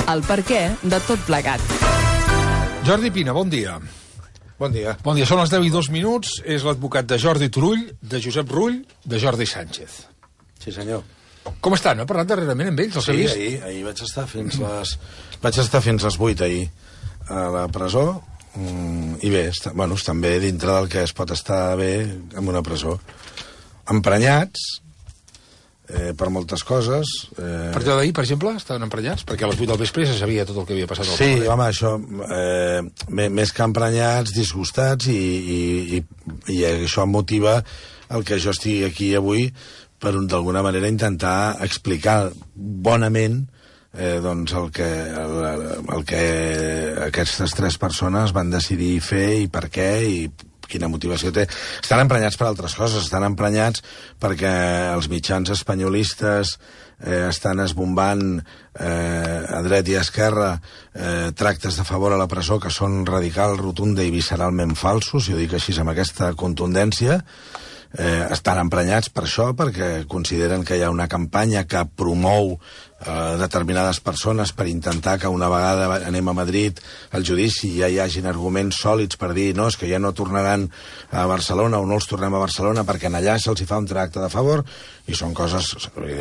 El perquè de tot plegat. Jordi Pina, bon dia. Bon dia. Bon dia, són les 10:02, és l'advocat de Jordi Turull, de Josep Rull, de Jordi Sánchez. Sí, senyor. Com estan? Ha parlat darrerament amb ells? Els ha Sí, vist? ahir vaig estar fins les 8 ahir a la presó, i bé, estan bé dintre del que es pot estar bé en una presó. Emprenyats, per moltes coses. Per allò d'ahir, per exemple, estaven emprenyats? Perquè a les 8 del vespre ja se sabia tot el que havia passat al Sí, carrer. home, això, més que emprenyats, disgustats, i això motiva el que jo estigui aquí avui per, d'alguna manera, intentar explicar bonament doncs el que aquestes tres persones van decidir fer i per què i quina motivació té. Estan emprenyats per altres coses, estan emprenyats perquè els mitjans espanyolistes estan esbombant a dret i a esquerra tractes de favor a la presó que són radical, rotunda i visceralment falsos, i ho dic així amb aquesta contundència. Estan emprenyats per això, perquè consideren que hi ha una campanya que promou determinades persones per intentar que una vegada anem a Madrid al judici ja hi hagin arguments sòlids per dir no, és que ja no tornaran a Barcelona o no els tornem a Barcelona perquè en allà se'ls fa un tracte de favor, i són coses,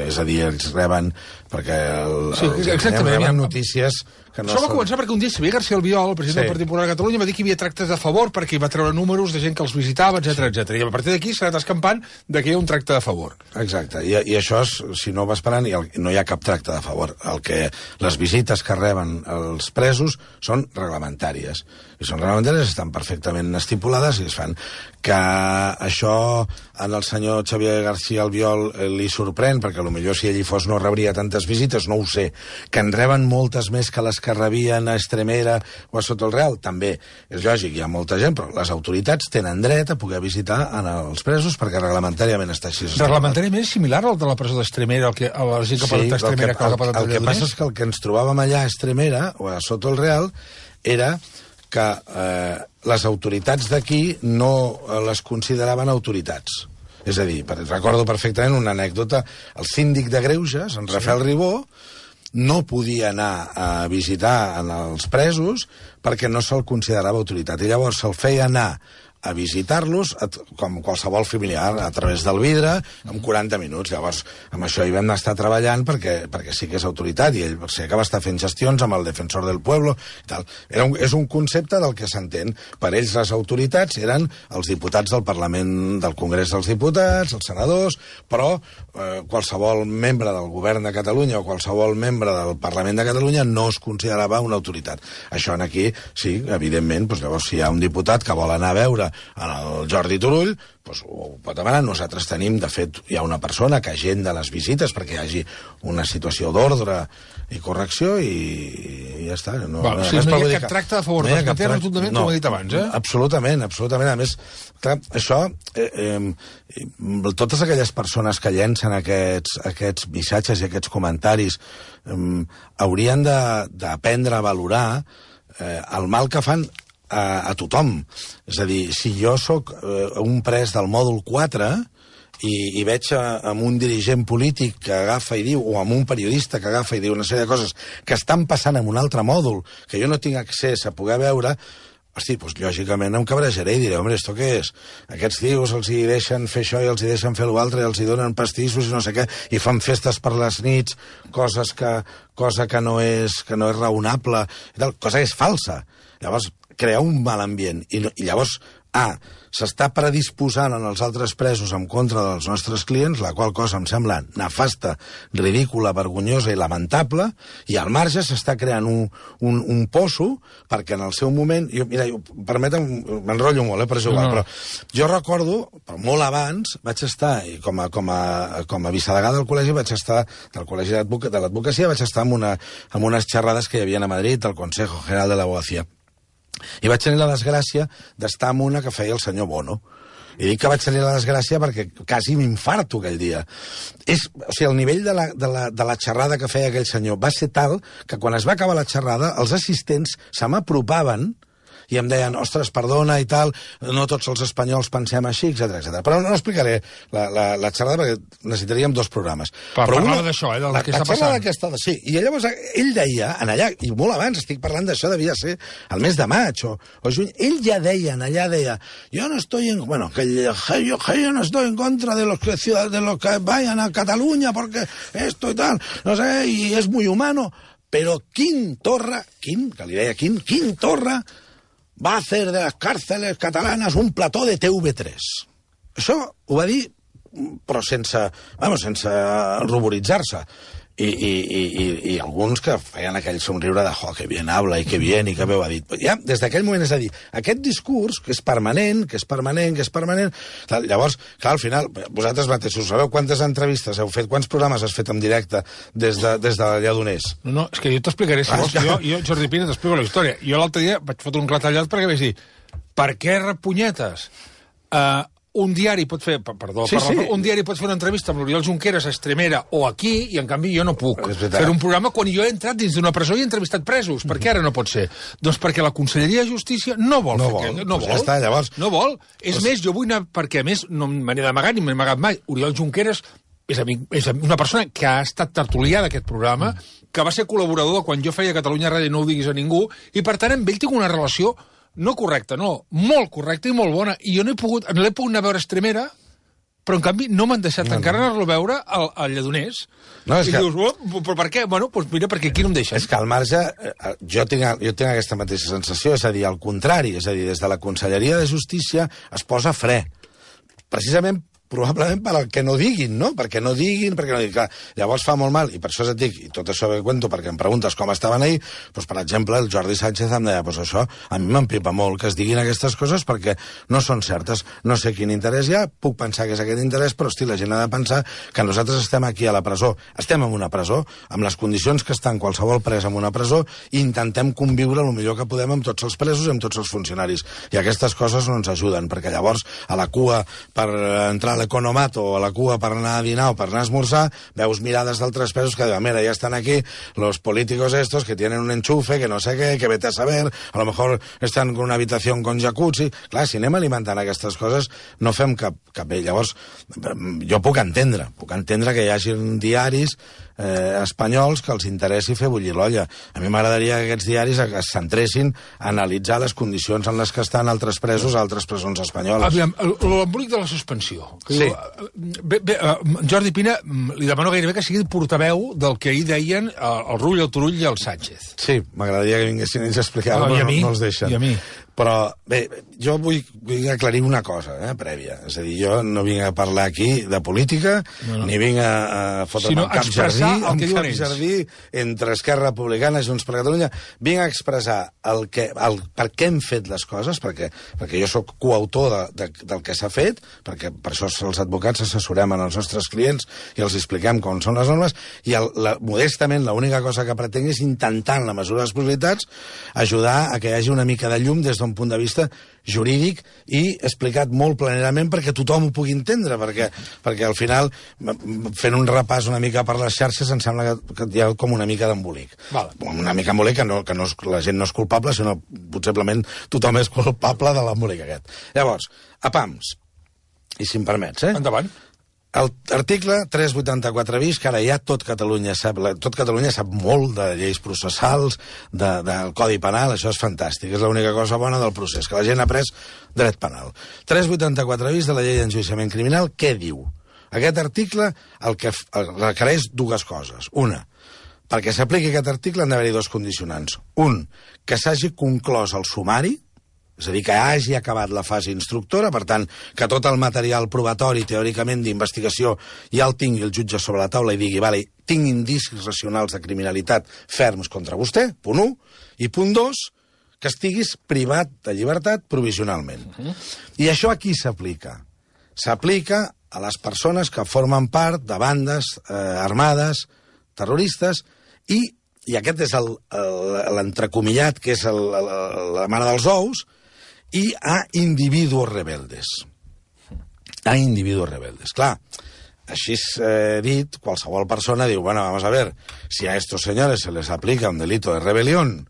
és a dir, ells reben perquè reben notícies que no Això va són... començar perquè un dia Xavier García Albiol, el president del Partit Popular de Catalunya, va dir que hi havia tractes de favor perquè hi va treure números de gent que els visitava, etc. I a partir d'aquí s'ha anat escampant que hi ha un tracte de favor. Exacte, i això, si no va esperant, no hi ha cap tracte de favor. Les visites que reben els presos són reglamentàries. I són reglamentàries, estan perfectament estipulades i es fan. Que això al senyor Xavier García Albiol li sorprèn, perquè potser si ell hi fos no rebria tantes visites, no ho sé. Que en reben moltes més que les que rebien a Estremera o a Soto el Real, també. És lògic, hi ha molta gent, però les autoritats tenen dret a poder visitar els presos perquè reglamentàriament està així. Reglamentàriament és similar al de la presó d'Estremera, a la gent que pot estar a Estremera que pot estar a el que passa és que el que ens trobàvem allà a Estremera o a Soto el Real era que les autoritats d'aquí no les consideraven autoritats. És a dir, recordo perfectament una anècdota, el síndic de Greuges, en Rafael Ribó, no podia anar a visitar els presos perquè no se'l considerava autoritat, i llavors se'l feia anar a visitar-los, com qualsevol familiar, a través del vidre, en 40 minuts. Llavors, amb això hi vam estar treballant perquè sí que és autoritat, i ell sé que va estar fent gestions amb el defensor del pueblo i tal. És un concepte del que s'entén. Per ells les autoritats eren els diputats del Parlament, del Congrés dels Diputats, els senadors, però qualsevol membre del govern de Catalunya o qualsevol membre del Parlament de Catalunya no es considerava una autoritat. Això aquí, sí, evidentment, llavors si hi ha un diputat que vol anar a veure en el Jordi Turull, ho pot demanar. Nosaltres tenim, de fet, hi ha una persona que agenda les visites perquè hi hagi una situació d'ordre i correcció, i ja està. No hi ha cap tracte a favor, no manté rotundament, com he dit abans, Absolutament. A més, clar, això, totes aquelles persones que llencen aquests missatges i aquests comentaris haurien d'aprendre a valorar el mal que fan a tothom. És a dir, si jo sóc un pres del mòdul 4 i veig amb un dirigent polític que agafa i diu, o amb un periodista que agafa i diu una sèrie de coses que estan passant en un altre mòdul, que jo no tinc accés a poder veure, hosti, lògicament em cabrejaré i diré, home, ¿esto què és? Aquests tios els hi deixen fer això i els hi deixen fer l'altre i els hi donen pastissos i no sé què, i fan festes per les nits, cosa que no és raonable, i tal, cosa que és falsa. Llavors, crear un mal ambient, i llavors, s'està predisposant en els altres presos en contra dels nostres clients, la qual cosa em sembla nefasta, ridícula, vergonyosa i lamentable, i al marge s'està creant un poso perquè en el seu moment... Permetem, m'enrotllo molt, però és igual, però jo recordo, molt abans, vaig estar, com a vicedegà del col·legi, del col·legi de l'advocacia, vaig estar en unes xerrades que hi havia a Madrid, del Consejo General de l'Abogacía. I vaig tenir la desgràcia d'estar en una que feia el senyor Bono. I dic que vaig tenir la desgràcia perquè quasi m'infarto aquell dia. El nivell de la xerrada que feia aquell senyor va ser tal que quan es va acabar la xerrada els assistents se m'apropaven i em deien, ostres, perdona i tal, no tots els espanyols pensem així, etc. Però no explicaré la xerrada perquè necessitaríem 2 programes. Però parlava d'això, del que està passant. Sí, i llavors ell deia, en allà, i molt abans, estic parlant d'això, devia ser el mes de maig o juny, ell ja deia, en allà deia, yo no estoy en contra de los que vayan a Cataluña porque esto y tal, no sé, y es muy humano, pero Quim Torra, que li deia Quim Torra, va a hacer de las cárceles catalanas un plató de TV3. Això ho va dir, però sense ruboritzar-se. I alguns que feien aquell somriure de que bien habla i que bien, i que bé ho ha dit. Ja, des d'aquell moment, és a dir, aquest discurs, que és permanent, llavors, clar, al final, vosaltres mateixos sabeu quantes entrevistes heu fet, quants programes has fet en directe des de Lledoners? No, és que jo t'explicaré, si vols. Jo, Jordi Pina, t'explico la història. Jo l'altre dia vaig fotre un retallat perquè vaig dir, per què repunyetes? Un diari pot fer, un diari pot fer una entrevista amb l'Oriol Junqueras a Extremera o aquí, i en canvi jo no puc fer un programa quan jo he entrat dins d'una presó i he entrevistat presos. Per què ara no pot ser? Doncs perquè la Conselleria de Justícia no vol. Ja està, llavors. No vol. És més, jo vull anar, perquè a més no me n'he d'amagar ni m'he amagat mai. Oriol Junqueras és una persona que ha estat tertulià d'aquest programa, que va ser col·laborador quan jo feia Catalunya Ràdio, no ho diguis a ningú, i per tant amb ell tinc una relació no correcta, no, molt correcta i molt bona. I jo no l'he pogut anar a veure Extremera, però en canvi no m'han deixat encara anar-lo a veure al Lledoners. I dius, però per què? Bueno, doncs mira, perquè aquí no em deixen. És que al marge, jo tinc aquesta mateixa sensació, és a dir, al contrari, és a dir, des de la Conselleria de Justícia es posa fre. Precisament probablement per al que no diguin, no? Perquè no diguin. Clar, llavors fa molt mal, i per això et dic, i tot això que cuento, perquè em preguntes com estaven ahir, doncs, per exemple, el Jordi Sánchez em deia, doncs això, a mi m'empipa molt que es diguin aquestes coses perquè no són certes. No sé quin interès hi ha, puc pensar que és aquest interès, però, hosti, la gent ha de pensar que nosaltres estem aquí a la presó. Estem en una presó, amb les condicions que estan qualsevol pres en una presó, i intentem conviure el millor que podem amb tots els presos i amb tots els funcionaris. I aquestes coses no ens ajuden, perquè llavors, a la cua per entrar a l'economato o a la cua per anar a dinar o per anar a esmorzar, veus mirades d'altres presos que diuen, mira, ya están aquí los políticos estos que tienen un enchufe, que no sé què, que vete a saber, a lo mejor están con una habitación con jacuzzi. Clar, si anem alimentant aquestes coses, no fem cap bé. Llavors, jo puc entendre que hi hagi diaris espanyols que els interessi fer bullir l'olla. A mi m'agradaria que aquests diaris es centressin a analitzar les condicions en les que estan altres presos a altres presons espanyoles. Aviam, l'embolic de la suspensió. Sí. Jordi Pina, li demano gairebé que sigui portaveu del que ahir deien el Rull, el Turull i el Sánchez. Sí, m'agradaria que vinguessin ells a explicar-ho, però no els deixen. I a mi. Però, bé, jo vull aclarir una cosa, prèvia. És a dir, jo no vinc a parlar aquí de política, ni vinc a fotre'm un cap jardí entre Esquerra Republicana i Junts per Catalunya. Vinc a expressar per què hem fet les coses, perquè jo sóc coautor del que s'ha fet, perquè per això els advocats assessorem als nostres clients i els expliquem com són les normes, i modestament l'única cosa que pretenc és intentar, en la mesura de les possibilitats, ajudar a que hi hagi una mica de llum des d'un punt de vista jurídic i explicat molt planerament perquè tothom ho pugui entendre, perquè al final, fent un repàs una mica per les xarxes, em sembla que hi ha com una mica d'embolic. Una mica d'embolic que la gent no és culpable, sinó possiblement tothom és culpable de l'embolic aquest. Llavors, a PAMS, i si em permets, Endavant. L'article 384 bis, que ara ja tot Catalunya sap molt de lleis processals, del Codi Penal, això és fantàstic, és l'única cosa bona del procés, que la gent ha après dret penal. 384 bis de la llei d'enjudiciament criminal, què diu? Aquest article el que requereix dues coses. Una, perquè s'apliqui aquest article han d'haver-hi dos condicionants. Un, que s'hagi conclòs el sumari, és a dir, que hagi acabat la fase instructora, per tant, que tot el material probatori, teòricament, d'investigació, ja el tingui el jutge sobre la taula i digui, vale, tinc indicis racionals de criminalitat ferms contra vostè, punt 1, i punt 2, que estiguis privat de llibertat provisionalment. I això a qui s'aplica? S'aplica a les persones que formen part de bandes armades, terroristes, i aquest és l'entrecomillat, que és la mare dels ous, i a individuos rebeldes. A individuos rebeldes. Clar, així dit, qualsevol persona diu, bueno, vamos a ver, si a estos señores se les aplica un delito de rebelión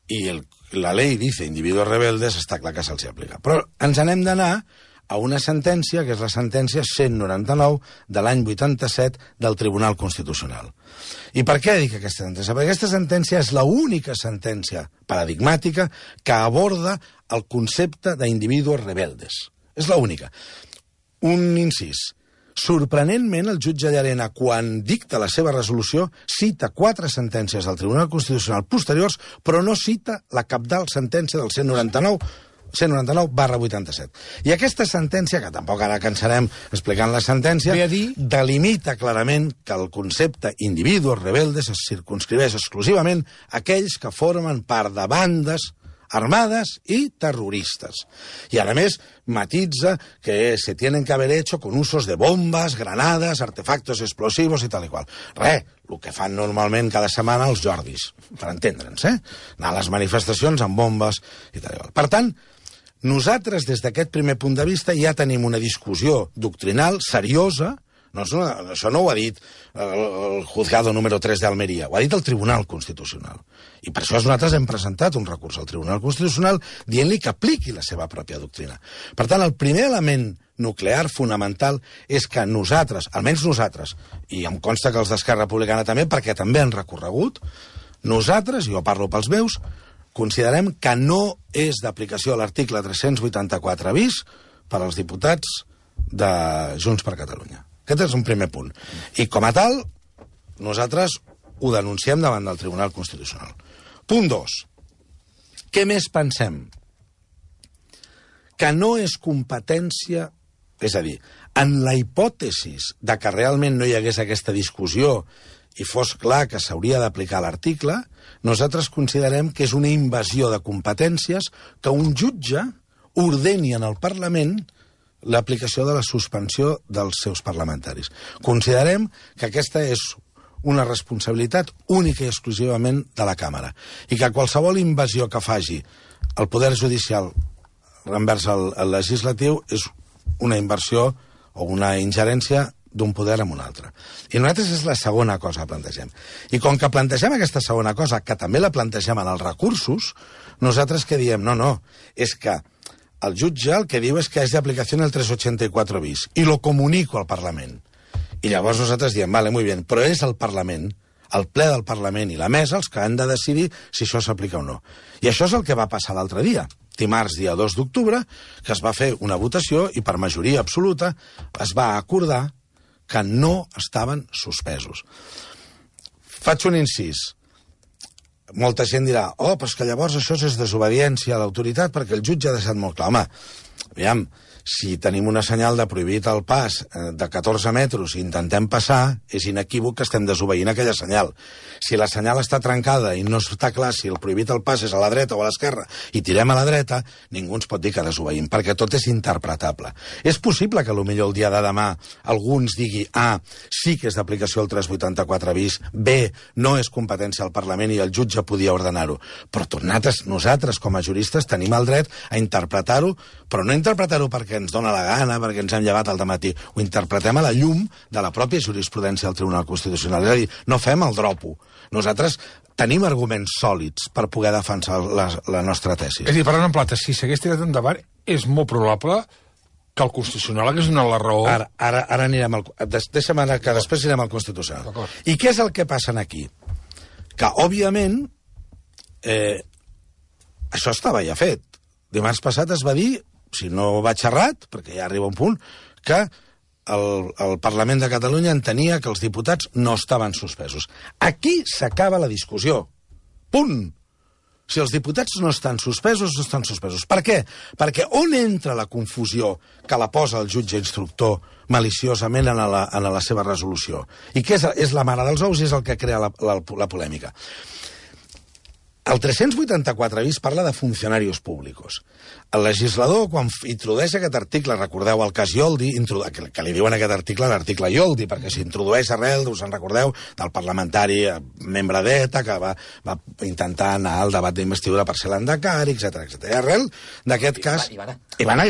y la ley dice individuos rebeldes, està clar que se'ls aplica. Però ens n'hem d'anar a una sentència, que és la sentència 199 de l'any 87 del Tribunal Constitucional. I per què dic aquesta sentència? Perquè aquesta sentència és l'única sentència paradigmàtica que aborda el concepte d'individuos rebeldes. És l'única. Un incís. Sorprenentment, el jutge Llarena, quan dicta la seva resolució, cita 4 sentències del Tribunal Constitucional posteriors, però no cita la cabdal sentència del 199/87. I aquesta sentència, que tampoc ara cansarem explicant la sentència, delimita clarament que el concepte individuos rebeldes es circunscriveix exclusivament a aquells que formen part de bandes armadas y terroristas. Y además matitza que se tienen que haber hecho con usos de bombas, granadas, artefactos explosivos y tal y qual. El que fan normalment cada setmana els Jordis, per entendre'ns, anar a les manifestacions amb bombes i tal i qual. Per tant, nosaltres, des d'aquest primer punt de vista, ja tenim una discussió doctrinal seriosa. No, això no ho ha dit el juzgado número 3 d'Almeria, ho ha dit el Tribunal Constitucional. I per això nosaltres hem presentat un recurs al Tribunal Constitucional dient-li que apliqui la seva pròpia doctrina. Per tant, el primer element nuclear fonamental és que nosaltres, almenys nosaltres, i em consta que els d'Esquerra Republicana també, perquè també han recorregut, nosaltres, jo parlo pels meus, considerem que no és d'aplicació l'article 384 bis per als diputats de Junts per Catalunya. Aquest és un primer punt. I com a tal, nosaltres ho denunciem davant del Tribunal Constitucional. Punt 2. Què més pensem? Que no és competència, és a dir, en la hipòtesis de que realment no hi hagués aquesta discussió i fos clar que s'hauria d'aplicar l'article, nosaltres considerem que és una invasió de competències que un jutge ordeni en el Parlament l'aplicació de la suspensió dels seus parlamentaris. Considerem que aquesta és una responsabilitat única i exclusivament de la Càmera i que qualsevol invasió que faci el Poder Judicial envers el legislatiu és una inversió o una ingerència d'un poder en un altre. I nosaltres és la segona cosa que plantegem. I com que plantegem aquesta segona cosa, que també la plantegem en els recursos, nosaltres què diem? No, és que el jutge el que diu és que és d'aplicació el 384 bis i lo comunico al Parlament. I llavors nosaltres diem, vale, muy bien, però és el Parlament, el ple del Parlament i la mesa els que han de decidir si això s'aplica o no. I això és el que va passar l'altre dia, dimarts, dia 2 d'octubre, que es va fer una votació i per majoria absoluta es va acordar que no estaven suspesos. Faig un incís. Molta gent dirà, però és que llavors això és desobediència a l'autoritat perquè el jutge ha deixat molt clar. Home, aviam, si tenim una senyal de prohibit el pas de 14 metres i intentem passar, és inequívoc que estem desobeint aquella senyal. Si la senyal està trencada i no està clar si el prohibit el pas és a la dreta o a l'esquerra i tirem a la dreta, ningú ens pot dir que desobeïm, perquè tot és interpretable. És possible que potser el dia de demà alguns digui A, sí que és d'aplicació el 384 bis, B, no és competència al Parlament i el jutge podia ordenar-ho. Però nosaltres, com a juristes, tenim el dret a interpretar-ho, però no interpretar-ho perquè ens dona la gana, perquè ens hem llevat al dematí. Ho interpretem a la llum de la pròpia jurisprudència del Tribunal Constitucional. És a dir, no fem el dropo. Nosaltres tenim arguments sòlids per poder defensar la nostra tesi. És a dir, parlant en plata, si s'hagués tirat endavant, és molt probable que el Constitucional hagués donat la raó. Ara anirem al... Deixa'm anar, que després anirem al Constitucional. I què és el que passa aquí? Que, òbviament, això estava ja fet. Dimarts passat es va dir, si no vaig errat, perquè ja arriba un punt, que el Parlament de Catalunya entenia que els diputats no estaven suspesos. Aquí s'acaba la discussió. Punt. Si els diputats no estan suspesos, no estan suspesos. Per què? Perquè on entra la confusió que la posa el jutge instructor maliciosament en la seva resolució? I què és la mare dels ous i és el que crea la polèmica. El 384 bis parla de funcionaris públics. El legislador, quan introdueix aquest article, recordeu el cas Ioldi, que li diuen aquest article l'article Ioldi, perquè s'introdueix arrel, us en recordeu, del parlamentari membre d'ETA, que va intentar anar al debat d'investidura per ser l'endacari, etc. Arrel d'aquest cas... I va anar.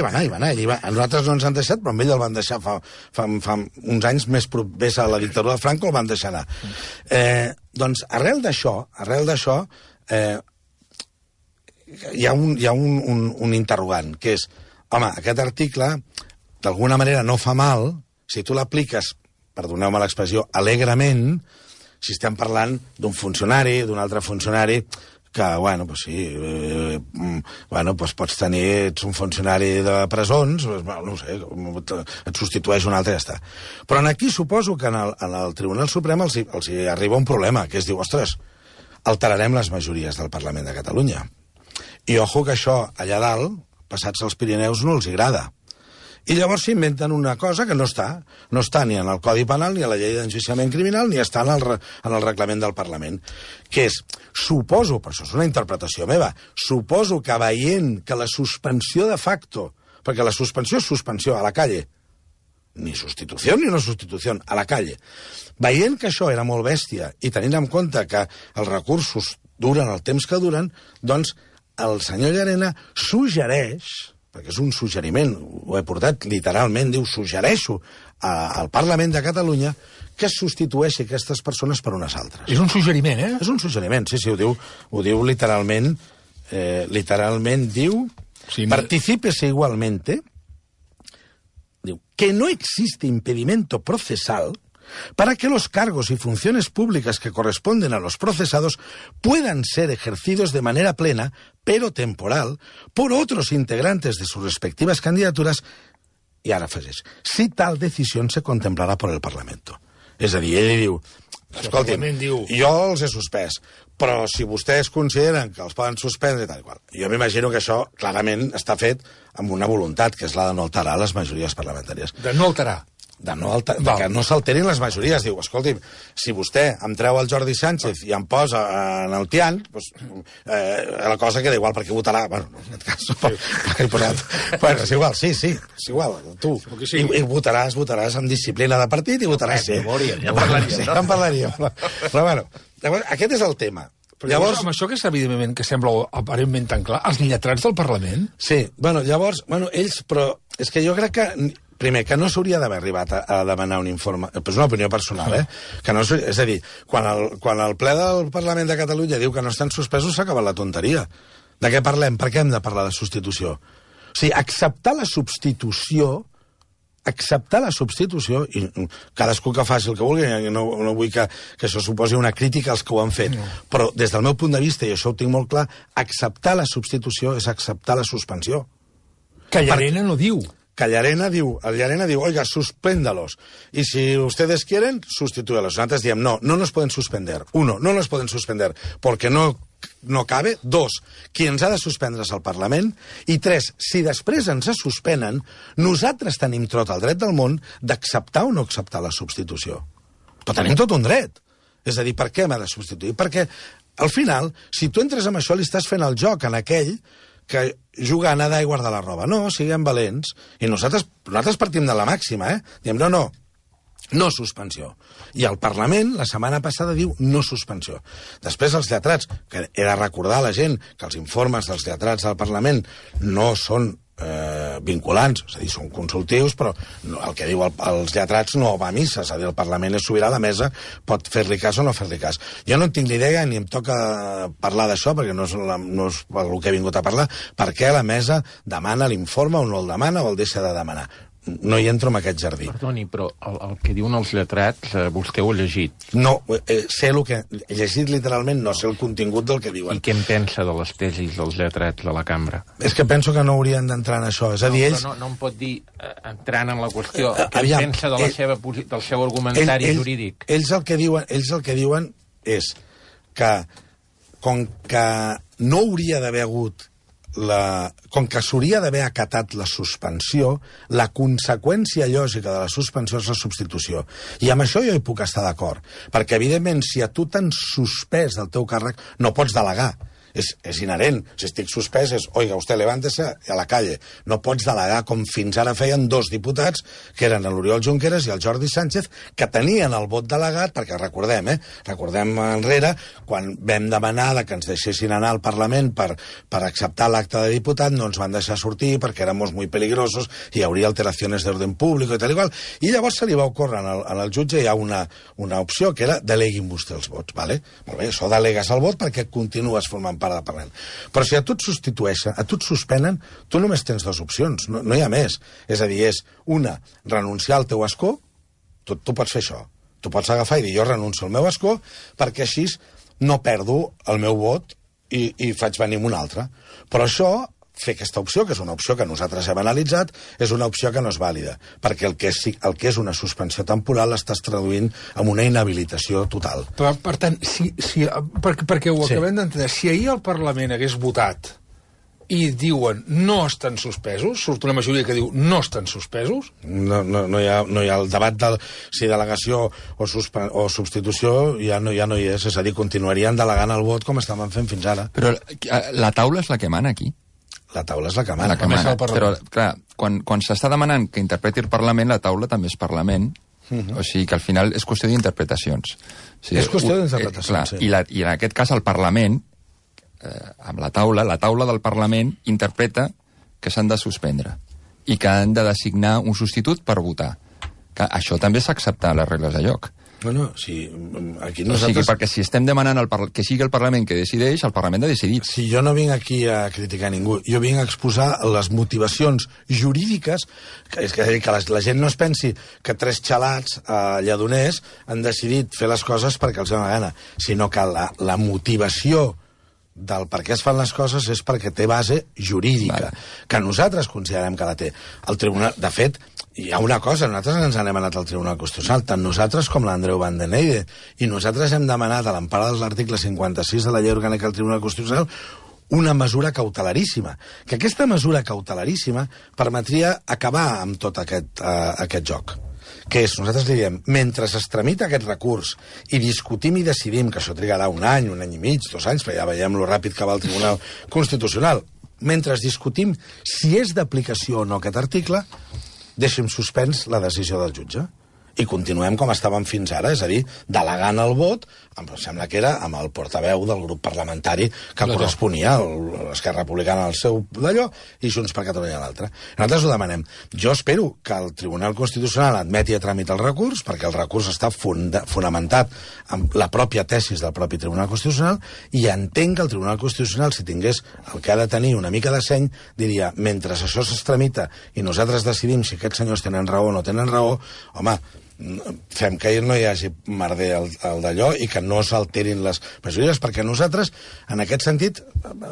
Nosaltres no ens han deixat, però amb ell el van deixar fa uns anys més propers a la dictadura de Franco, el van deixar anar. Doncs arrel d'això, hi ha un interrogant, que és, home, aquest article, d'alguna manera no fa mal, si tu l'apliques, perdoneu-me l'expressió, alegrement, si estem parlant d'un funcionari, d'un altre funcionari, que, bueno, pues sí, pues pots tenir, ets un funcionari de presons, no sé, et substitueix un altre i ja està. Però aquí suposo que en el Tribunal Suprem els hi arriba un problema, que es diu, ostres, alterarem les majories del Parlament de Catalunya. I ojo que això, allà dalt, passats els Pirineus, no els agrada. I llavors s'inventen una cosa que no està ni en el Codi Penal, ni a la llei d'enjudiciament criminal, ni està en el reglament del Parlament, que és, suposo, però això és una interpretació meva, suposo que veient que la suspensió de facto, perquè la suspensió és suspensió a la calle, ni substitució ni no substitució, a la calle, veient que això era molt bèstia i tenint en compte que els recursos duren el temps que duren, doncs el senyor Llarena suggereix, perquè és un suggeriment, ho he portat literalment, diu, suggereixo al Parlament de Catalunya que es substitueixi aquestes persones per unes altres. És un suggeriment, eh? És un suggeriment, sí, ho diu literalment, diu, sí, particípese igualmente, diu, que no existe impedimento procesal para que los cargos y funciones públicas que corresponden a los procesados puedan ser ejercidos de manera plena, pero temporal, por otros integrantes de sus respectivas candidaturas, y ara afegeix, si tal decisión se contemplará por el Parlamento. És a dir, ell diu, escolti'm, jo els he suspès, però si vostès consideren que els poden suspendre i tal i qual. Jo m'imagino que això clarament està fet amb una voluntat, que és la de no alterar les majories parlamentàries. De no alterar. De que no s'alterin les majories. Diu, escolti'm, si vostè em treu el Jordi Sánchez i em posa en el Tian, doncs, la cosa queda igual, perquè votarà... Bueno, en aquest cas, perquè he posat... Bueno, és igual, sí, és igual, tu. Sí. I votaràs amb disciplina de partit i votaràs... Sí. Ja parlaríem, no? Ja en parlaríem. Però, bueno, aquest és el tema. Però llavors, amb això que és evidentment que sembla aparentment tan clar, els lletrats del Parlament? Sí, llavors, ells, però és que jo crec que... Primer, que no s'hauria d'haver arribat a demanar un informe... És una opinió personal, eh? Que no, és a dir, quan el ple del Parlament de Catalunya diu que no estan suspesos, s'acaba la tonteria. De què parlem? Per què hem de parlar de substitució? O sigui, acceptar la substitució, i cadascú que faci el que vulgui, no vull que això suposi una crítica als que ho han fet, però des del meu punt de vista, i això ho tinc molt clar, acceptar la substitució és acceptar la suspensió. Que Llarena no diu. Que Llarena diu, oiga, suspéndalos. Y si ustedes quieren, sustitúyalos. Nosotros diem, no nos pueden suspender. Uno, no nos pueden suspender porque no cabe. Dos, qui ens ha de suspendre és el Parlament. I tres, si després ens suspenen, nosaltres tenim tot el dret del món d'acceptar o no acceptar la substitució. Però tenim tot un dret. És a dir, per què m'ha de substituir? Perquè, al final, si tu entres amb això, li estàs fent el joc en aquell que juga a nedar i guardar la roba. No, siguem valents. I nosaltres partim de la màxima, eh? Diem, no suspensió. I el Parlament, la setmana passada, diu no suspensió. Després els lletrats, que he de recordar a la gent que els informes dels lletrats del Parlament no són vinculants, és a dir, són consultius, però el que diu els lletrats no va a missa, és a dir, el Parlament és sobirà, la mesa pot fer-li cas o no fer-li cas. Jo no en tinc ni idea ni em toca parlar d'això, perquè no és el que he vingut a parlar, per què la mesa demana l'informe o no el demana o el deixa de demanar. No hi entro en aquest jardí. Perdoni, però el que diuen els lletrats, vostè ho ha llegit? No, sé el que... He llegit literalment, no sé el contingut del que diuen. I què en pensa de les tesis dels lletrats de la cambra? És que penso que no haurien d'entrar en això. És a dir, ells... No em pot dir, entrant en la qüestió, què en pensa del seu argumentari jurídic? Ells el que diuen és que, com que no hauria d'haver hagut com que s'hauria d'haver acatat la suspensió, la conseqüència lògica de la suspensió és la substitució. I amb això jo hi puc estar d'acord, perquè evidentment si a tu t'han suspès del teu càrrec no pots delegar. És inherent. Si estic suspès és, oiga, usted levántese a la calle. No pots delegar com fins ara feien dos diputats, que eren l'Oriol Junqueras i el Jordi Sánchez, que tenien el vot delegat, perquè recordem enrere, quan vam demanar que ens deixessin anar al Parlament per acceptar l'acte de diputat, no ens van deixar sortir perquè éramos muy peligrosos i hi hauria alteracions d'ordre públic i tal i qual. I llavors se li va ocórrer al jutge hi ha una opció que era deleguin vostè els vots, vale? Molt bé, això delegues el vot perquè continues formant part del Parlament. Però si a tu et substitueixen, a tu et suspenen, tu només tens dues opcions, no hi ha més. És a dir, és una, renunciar al teu escó, tu pots fer això. Tu pots agafar i dir, jo renuncio al meu escó perquè així no perdo el meu vot i faig venir un altre. Però això, fer aquesta opció, que és una opció que nosaltres hem analitzat, és una opció que no és vàlida, perquè el que és una suspensió temporal l'estàs traduint en una inhabilitació total. Però, per tant, perquè ho acabem d'entendre, si ahir el Parlament hagués votat i diuen no estan suspesos, surt una majoria que diu no estan suspesos... No hi ha el debat de si delegació o substitució ja no hi és, és a dir, continuarien delegant el vot com estaven fent fins ara. Però la taula és la que mana aquí. La taula és la que mana. Però, clar, quan s'està demanant que interpreti el Parlament, la taula també és Parlament, o sigui que al final és qüestió d'interpretacions. O sigui, és qüestió d'interpretacions, sí. I en aquest cas el Parlament, amb la taula del Parlament interpreta que s'han de suspendre i que han de designar un substitut per votar. Que això també s'accepta a les regles de joc. Bueno, sí, aquí nosaltres... O sigui, perquè si estem demanant que sigui el Parlament que decideix, el Parlament ha decidit. Si jo no vinc aquí a criticar ningú, jo vinc a exposar les motivacions jurídiques, és que la gent no es pensi que tres xalats lledoners han decidit fer les coses perquè els dona gana, sinó que la motivació del per què es fan les coses és perquè té base jurídica, que nosaltres considerem que la té. El tribunal, de fet, hi ha una cosa, nosaltres ens n'hem anat al Tribunal Constitucional, tant nosaltres com l'Andreu Van den Eide, i nosaltres hem demanat a l'empara de l'article 56 de la llei orgànica del Tribunal Constitucional una mesura cautelaríssima, que aquesta mesura cautelaríssima permetria acabar amb tot aquest joc. Que és, nosaltres li diem, mentre es tramita aquest recurs i discutim i decidim, que això trigarà un any i mig, 2 anys, perquè ja veiem lo ràpid que va el Tribunal Constitucional, mentre discutim si és d'aplicació o no aquest article, deixem suspens la decisió del jutge i continuem com estàvem fins ara, és a dir, delegant el vot, em sembla que era amb el portaveu del grup parlamentari que corresponia a l'Esquerra Republicana al seu d'allò i Junts per Catalunya a l'altre. Nosaltres ho demanem. Jo espero que el Tribunal Constitucional admeti a tràmit el recurs, perquè el recurs està fonamentat amb la pròpia tesis del propi Tribunal Constitucional, i entenc que el Tribunal Constitucional, si tingués el que ha de tenir una mica de seny, diria, mentre això es tramita i nosaltres decidim si aquests senyors tenen raó o no tenen raó, home, fem que no hi hagi merder al d'allò i que no s'alterin les majories, perquè nosaltres, en aquest sentit,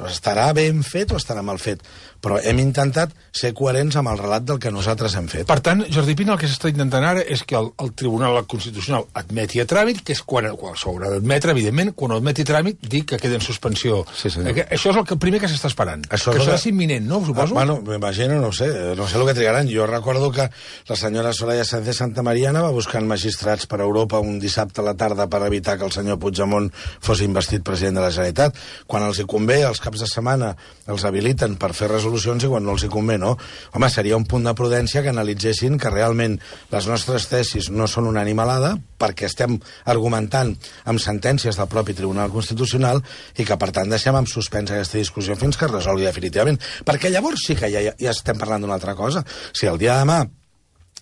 estarà ben fet o estarà mal fet, però hem intentat ser coherents amb el relat del que nosaltres hem fet. Per tant, Jordi Pina, el que s'està intentant ara és que el Tribunal Constitucional admeti a tràmit, que és quan s'haurà d'admetre, evidentment, quan ho admeti a tràmit, dir que queda en suspensió. Sí, això és el primer que s'està esperant. Això que serà imminent, no? Suposo? Bueno, m'imagino, no sé el que trigaran. Jo recordo que la senyora Soraya Sáenz de Santa Mariana va buscant magistrats per Europa un dissabte a la tarda per evitar que el senyor Puigdemont fos investit president de la Generalitat. Quan els hi convé, els caps de setmana els habiliten per fer resolucions i quan no els hi convé, no. Home, seria un punt de prudència que analitzessin que realment les nostres tesis no són una animalada, perquè estem argumentant amb sentències del propi Tribunal Constitucional i que, per tant, deixem en suspens aquesta discussió fins que es resolgui definitivament. Perquè llavors sí que ja estem parlant d'una altra cosa. Si el dia de demà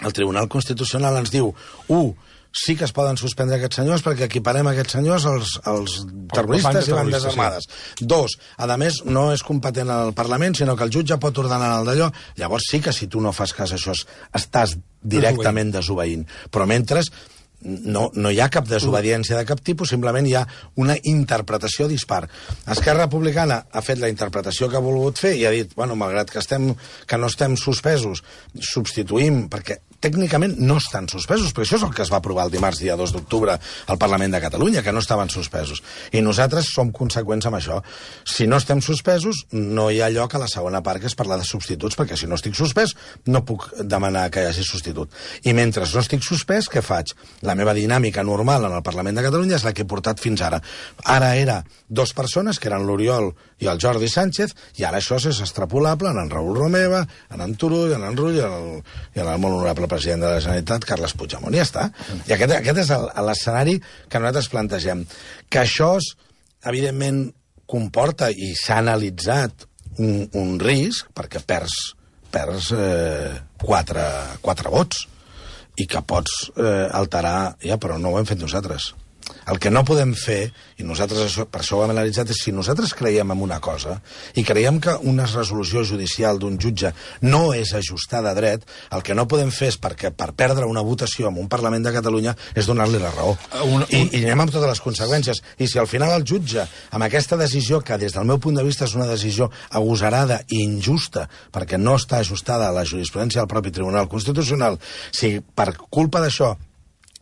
el Tribunal Constitucional ens diu, sí que es poden suspendre aquests senyors perquè equiparem aquests senyors als terroristes i bandes armades. 2, a més, no és competent al Parlament, sinó que el jutge pot ordenar el d'allò. Llavors sí que si tu no fas cas a això estàs directament desobeint. Però mentre no hi ha cap desobediència de cap tipus, simplement hi ha una interpretació dispar. Esquerra Republicana ha fet la interpretació que ha volgut fer i ha dit, bueno, malgrat que no estem suspesos, substituïm, perquè tècnicament no estan suspesos, perquè això és el que es va aprovar el dimarts, dia 2 d'octubre, al Parlament de Catalunya, que no estaven suspesos. I nosaltres som conseqüents amb això. Si no estem suspesos, no hi ha lloc a la segona part, que és parlar de substituts, perquè si no estic suspès, no puc demanar que hi hagi substitut. I mentre no estic suspès, què faig? La meva dinàmica normal en el Parlament de Catalunya és la que he portat fins ara. Ara era 2 persones, que eren l'Oriol i el Jordi Sánchez, i ara això és extrapolable en Raül Romeva, en Turull, en Rull i en el molt honorable president de la Generalitat, Carles Puigdemont. I ja està. I aquest és l'escenari que nosaltres plantegem. Que això, evidentment, comporta, i s'ha analitzat, un risc, perquè perds 4 vots, i que pots alterar... Ja, però no ho hem fet nosaltres. El que no podem fer, i nosaltres per això ho hem analitzat, és si nosaltres creiem en una cosa i creiem que una resolució judicial d'un jutge no és ajustada a dret, el que no podem fer és perquè per perdre una votació en un Parlament de Catalunya és donar-li la raó. I anem amb totes les conseqüències. I si al final el jutge, amb aquesta decisió, que des del meu punt de vista és una decisió agosarada i injusta, perquè no està ajustada a la jurisprudència del propi Tribunal Constitucional, si per culpa d'això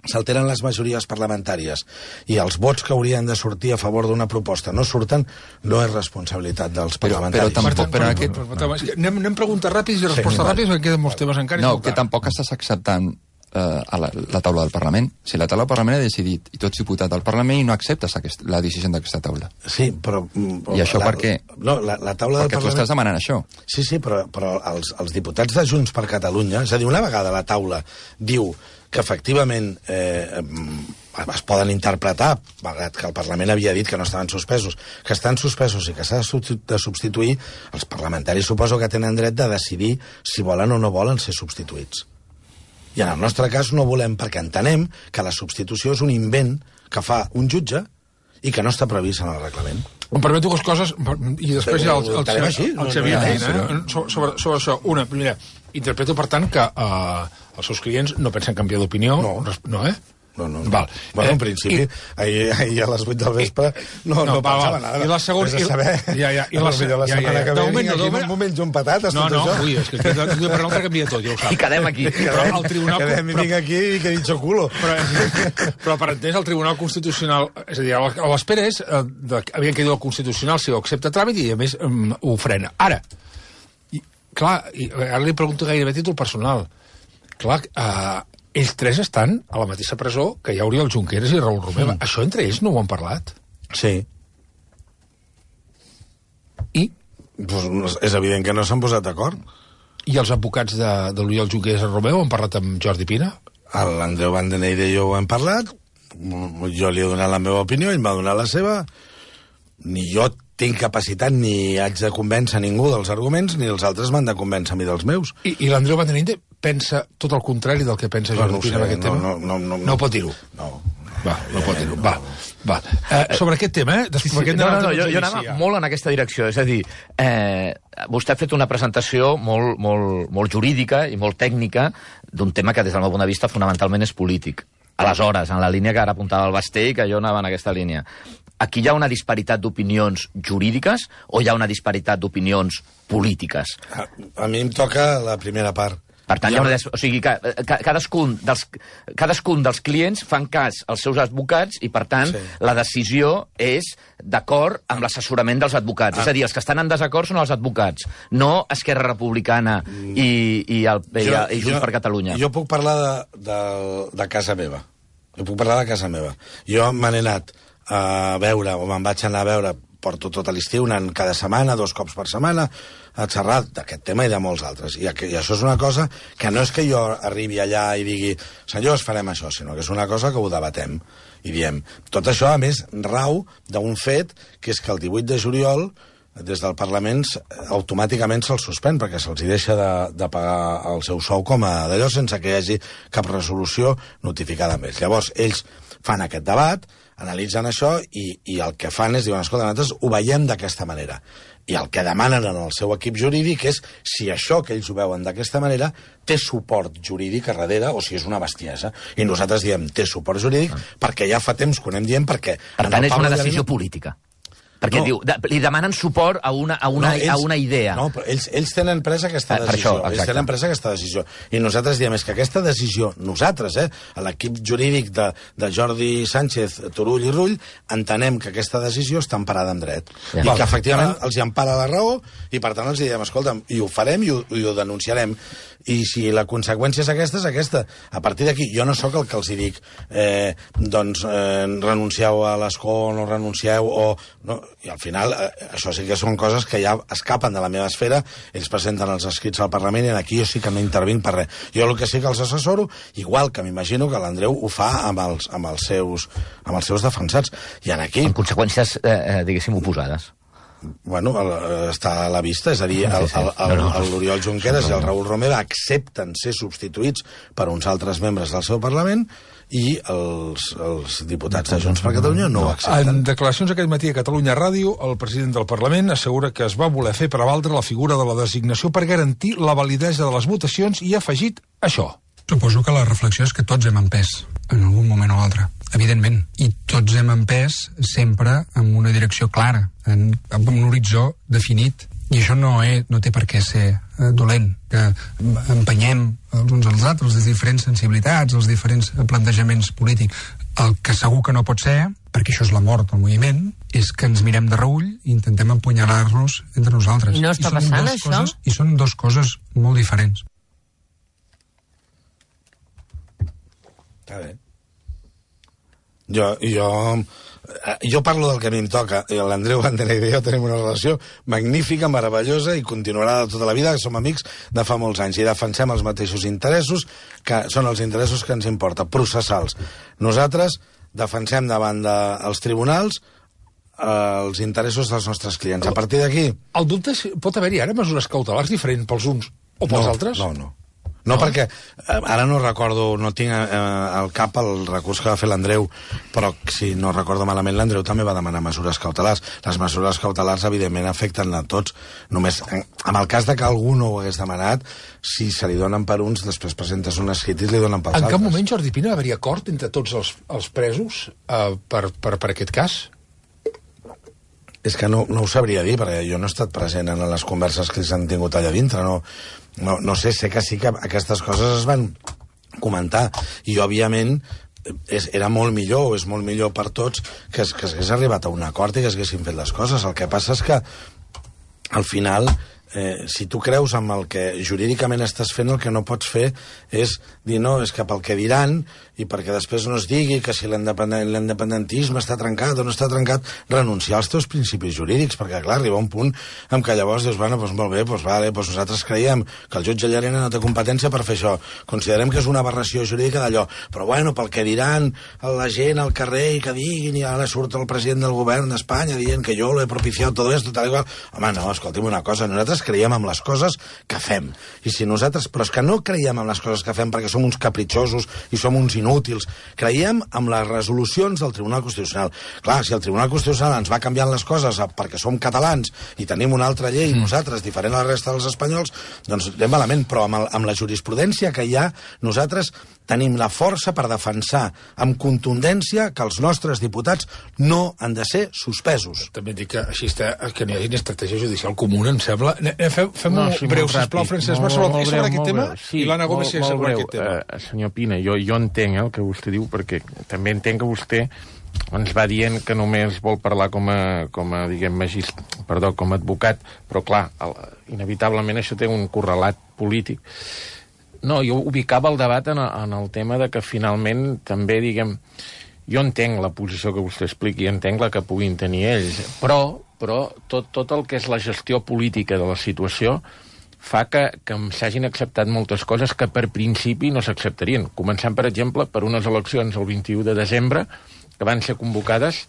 s'alteren les majories parlamentàries i els vots que haurien de sortir a favor d'una proposta no surten, no és responsabilitat dels parlamentaris. Anem preguntes ràpides i respostes ràpides, perquè queden molts temes encara. No, que tampoc estàs acceptant la taula del Parlament. Si la taula del Parlament ha decidit, i tu ets diputat del Parlament, i no acceptes la decisió d'aquesta taula. Sí, però... I això per què? No, la taula del Parlament... Perquè tu estàs demanant això. Sí, però els diputats de Junts per Catalunya, és a dir, una vegada la taula diu que efectivament es poden interpretar, malgrat que el Parlament havia dit que no estaven suspesos, que estan suspesos i que s'ha de substituir, els parlamentaris suposo que tenen dret de decidir si volen o no volen ser substituïts. I en el nostre cas no volem, perquè entenem que la substitució és un invent que fa un jutge i que no està previst en el reglament. Em permeto dues coses, i després ja el Xavier sobre això. Una, primera, interpreto, per tant, que els seus clients no pensen canviar d'opinió. No, eh? No. Val. Bueno, en principi, ahir a les 8 del vespre no pensava nada. I la segona... Vés a saber. I la setmana que ve vinc aquí m'ho menjo amb patates, tot això. Ui, és que de per l'altre canvia tot, ja ho saps. I quedem aquí. Quedem i vinc aquí i que dicho culo. Però per entès, el Tribunal Constitucional... És a dir, a l'espera és... Havien que dir el Constitucional si ho accepta tràmit i, a més, ho frena. Ara li pregunto gairebé a títol personal. Clar, ells tres estan a la mateixa presó que hi ha Oriol Junqueras i Raül Romeva. Això entre ells no ho han parlat? Sí. I? Pues és evident que no s'han posat d'acord. I els advocats de l'Oriol Junqueras i Romeva han parlat amb Jordi Pina? L'Andreu Vandeneyde i jo ho hem parlat, jo li he donat la meva opinió, ell m'ha donat la seva, ni jo tinc capacitat ni haig de convèncer ningú dels arguments, ni els altres m'han de convèncer a mi dels meus. I l'Andreu Vandeneyde pensa tot el contrari del que pensa Jordi Pina en aquest tema? No pot dir-ho. No pot dir-ho. Va. Sobre aquest tema, jo anava molt en aquesta direcció. És a dir, vostè ha fet una presentació molt jurídica i molt tècnica d'un tema que, des del meu punt de vista, fonamentalment és polític. Aleshores, en la línia que ara apuntava el Basté, que jo anava en aquesta línia. Aquí hi ha una disparitat d'opinions jurídiques o hi ha una disparitat d'opinions polítiques? A mi em toca la primera part. Per tant, o sigui, cadascun dels clients fan cas als seus advocats i, per tant, la decisió és d'acord amb l'assessorament dels advocats. És a dir, els que estan en desacord són els advocats, no Esquerra Republicana i Junts per Catalunya. Jo puc parlar de casa meva. Jo me n'he anat a veure, o me'n vaig anar a veure, porto tot l'estiu, anant cada setmana, 2 cops per setmana, a xerrar d'aquest tema i de molts altres. I això és una cosa que no és que jo arribi allà i digui, senyors, farem això, sinó que és una cosa que ho debatem i diem. Tot això, a més, rau d'un fet, que és que el 18 de juliol, des del Parlament, automàticament se'ls suspèn, perquè se'ls deixa de pagar el seu sou com a d'allò, sense que hi hagi cap resolució notificada més. Llavors, ells fan aquest debat, analitzen això i el que fan és, diuen, escolta, nosaltres ho veiem d'aquesta manera. I el que demanen en el seu equip jurídic és si això que ells ho veuen d'aquesta manera té suport jurídic a darrere o si és una bestiesa. I nosaltres diem, té suport jurídic perquè ja fa temps que ho anem dient, perquè... Per tant, és una decisió política. Perquè diu, li demanen suport a una idea. No, però ells tenen presa aquesta decisió. Ells tenen presa aquesta decisió. I nosaltres diem, és que aquesta decisió, nosaltres, l'equip jurídic de Jordi Sánchez, Turull i Rull, entenem que aquesta decisió està emparada en dret. I que, efectivament, els hi empara la raó i, per tant, els diem, escolta'm, i ho farem i ho denunciarem. I si la conseqüència és aquesta. A partir d'aquí, jo no sóc el que els hi dic, renuncieu a l'escó, no renuncieu, i al final això sí que són coses que ja escapen de la meva esfera. Ells presenten els escrits al Parlament i aquí jo sí que no intervinc per res. Jo el que sí que els assessoro, igual que m'imagino que l'Andreu ho fa amb els seus defensats. I aquí... Amb conseqüències, diguéssim, oposades. està a la vista, és a dir, l'Oriol Junqueras i el Raül Romeva accepten ser substituïts per uns altres membres del seu Parlament i els diputats de Junts per Catalunya no ho accepten. En declaracions aquest matí a Catalunya Ràdio, el president del Parlament assegura que es va voler fer prevaldre la figura de la designació per garantir la validesa de les votacions i ha afegit això. Suposo que la reflexió és que tots hem empès en algun moment o altre, evidentment, i tots hem empès sempre en una direcció clara, en un horitzó definit, i això no té per què ser dolent, que empenyem els uns als altres, les diferents sensibilitats, els diferents plantejaments polítics. El que segur que no pot ser, perquè això és la mort del moviment, és que ens mirem de reull i intentem empunyalar-nos entre nosaltres. I no està passant, això? I són dues coses molt diferents. Està bé. Jo parlo del que a mi em toca, i l'Andreu Bandenegra i jo tenim una relació magnífica, meravellosa, i continuarà de tota la vida, que som amics de fa molts anys, i defensem els mateixos interessos, que són els interessos que ens importa, processals. Nosaltres defensem davant dels tribunals els interessos dels nostres clients. A partir d'aquí... El dubte és, pot haver-hi ara mesures cautelars diferents pels uns o pels altres? No, perquè ara no recordo, no tinc al cap el recurs que va fer l'Andreu, però si no recordo malament, l'Andreu també va demanar mesures cautelars. Les mesures cautelars, evidentment, afecten a tots. Només, en el cas de que algú no ho hagués demanat, si se li donen per uns, després presentes un escrit i li donen pels altres. En cap moment, Jordi Pina, va haver-hi acord entre tots els presos per aquest cas? És que no ho sabria dir, perquè jo no he estat present en les converses que s'han tingut allà dintre, no sé que sí que aquestes coses es van comentar, i òbviament era molt millor, o és molt millor per tots, que s'hagués arribat a un acord i que s'haguessin fet les coses. El que passa és que al final, si tu creus en el que jurídicament estàs fent, el que no pots fer és dir no, és que pel que diran, i perquè després no es digui que si l'independentisme està trencat o no està trencat, renunciar als teus principis jurídics, perquè clar, arriba un punt en què llavors dius, bueno, doncs molt bé, doncs vale, doncs nosaltres creiem que el jutge Llarena no té competència per fer això, considerem que és una aberració jurídica d'allò, però bueno, pel que diran la gent al carrer i que diguin, i ara surt el president del govern d'Espanya dient que jo lo he propiciat tot esto, tal i qual, home, no, escolti'm una cosa, nosaltres creiem en les coses que fem, i si nosaltres, però és que no creiem en les coses que fem perquè som uns capritxosos i som uns inútils, creiem en les resolucions del Tribunal Constitucional. Clar, si el Tribunal Constitucional ens va canviant les coses perquè som catalans i tenim una altra llei nosaltres, diferent a la resta dels espanyols, doncs anem malament, però amb la jurisprudència que hi ha, nosaltres tenim la força per defensar amb contundència que els nostres diputats no han de ser suspesos. També dic que així està, que n'hi hagi una estratègia judicial comuna, em sembla. Fem-ho breu, sisplau, Francesc Mas, sobre aquest tema, i l'Anna Gómez sobre aquest tema. Senyor Pina, jo entenc el que vostè diu, perquè també entenc que vostè ens va dient que només vol parlar com a diguem, com a advocat, però clar, inevitablement això té un correlat polític. No, jo ubicava el debat en el tema de que finalment també, diguem, jo entenc la posició que vostè expliqui, entenc la que puguin tenir ells, però tot el que és la gestió política de la situació fa que s'hagin acceptat moltes coses que per principi no s'acceptarien. Començant, per exemple, per unes eleccions el 21 de desembre, que van ser convocades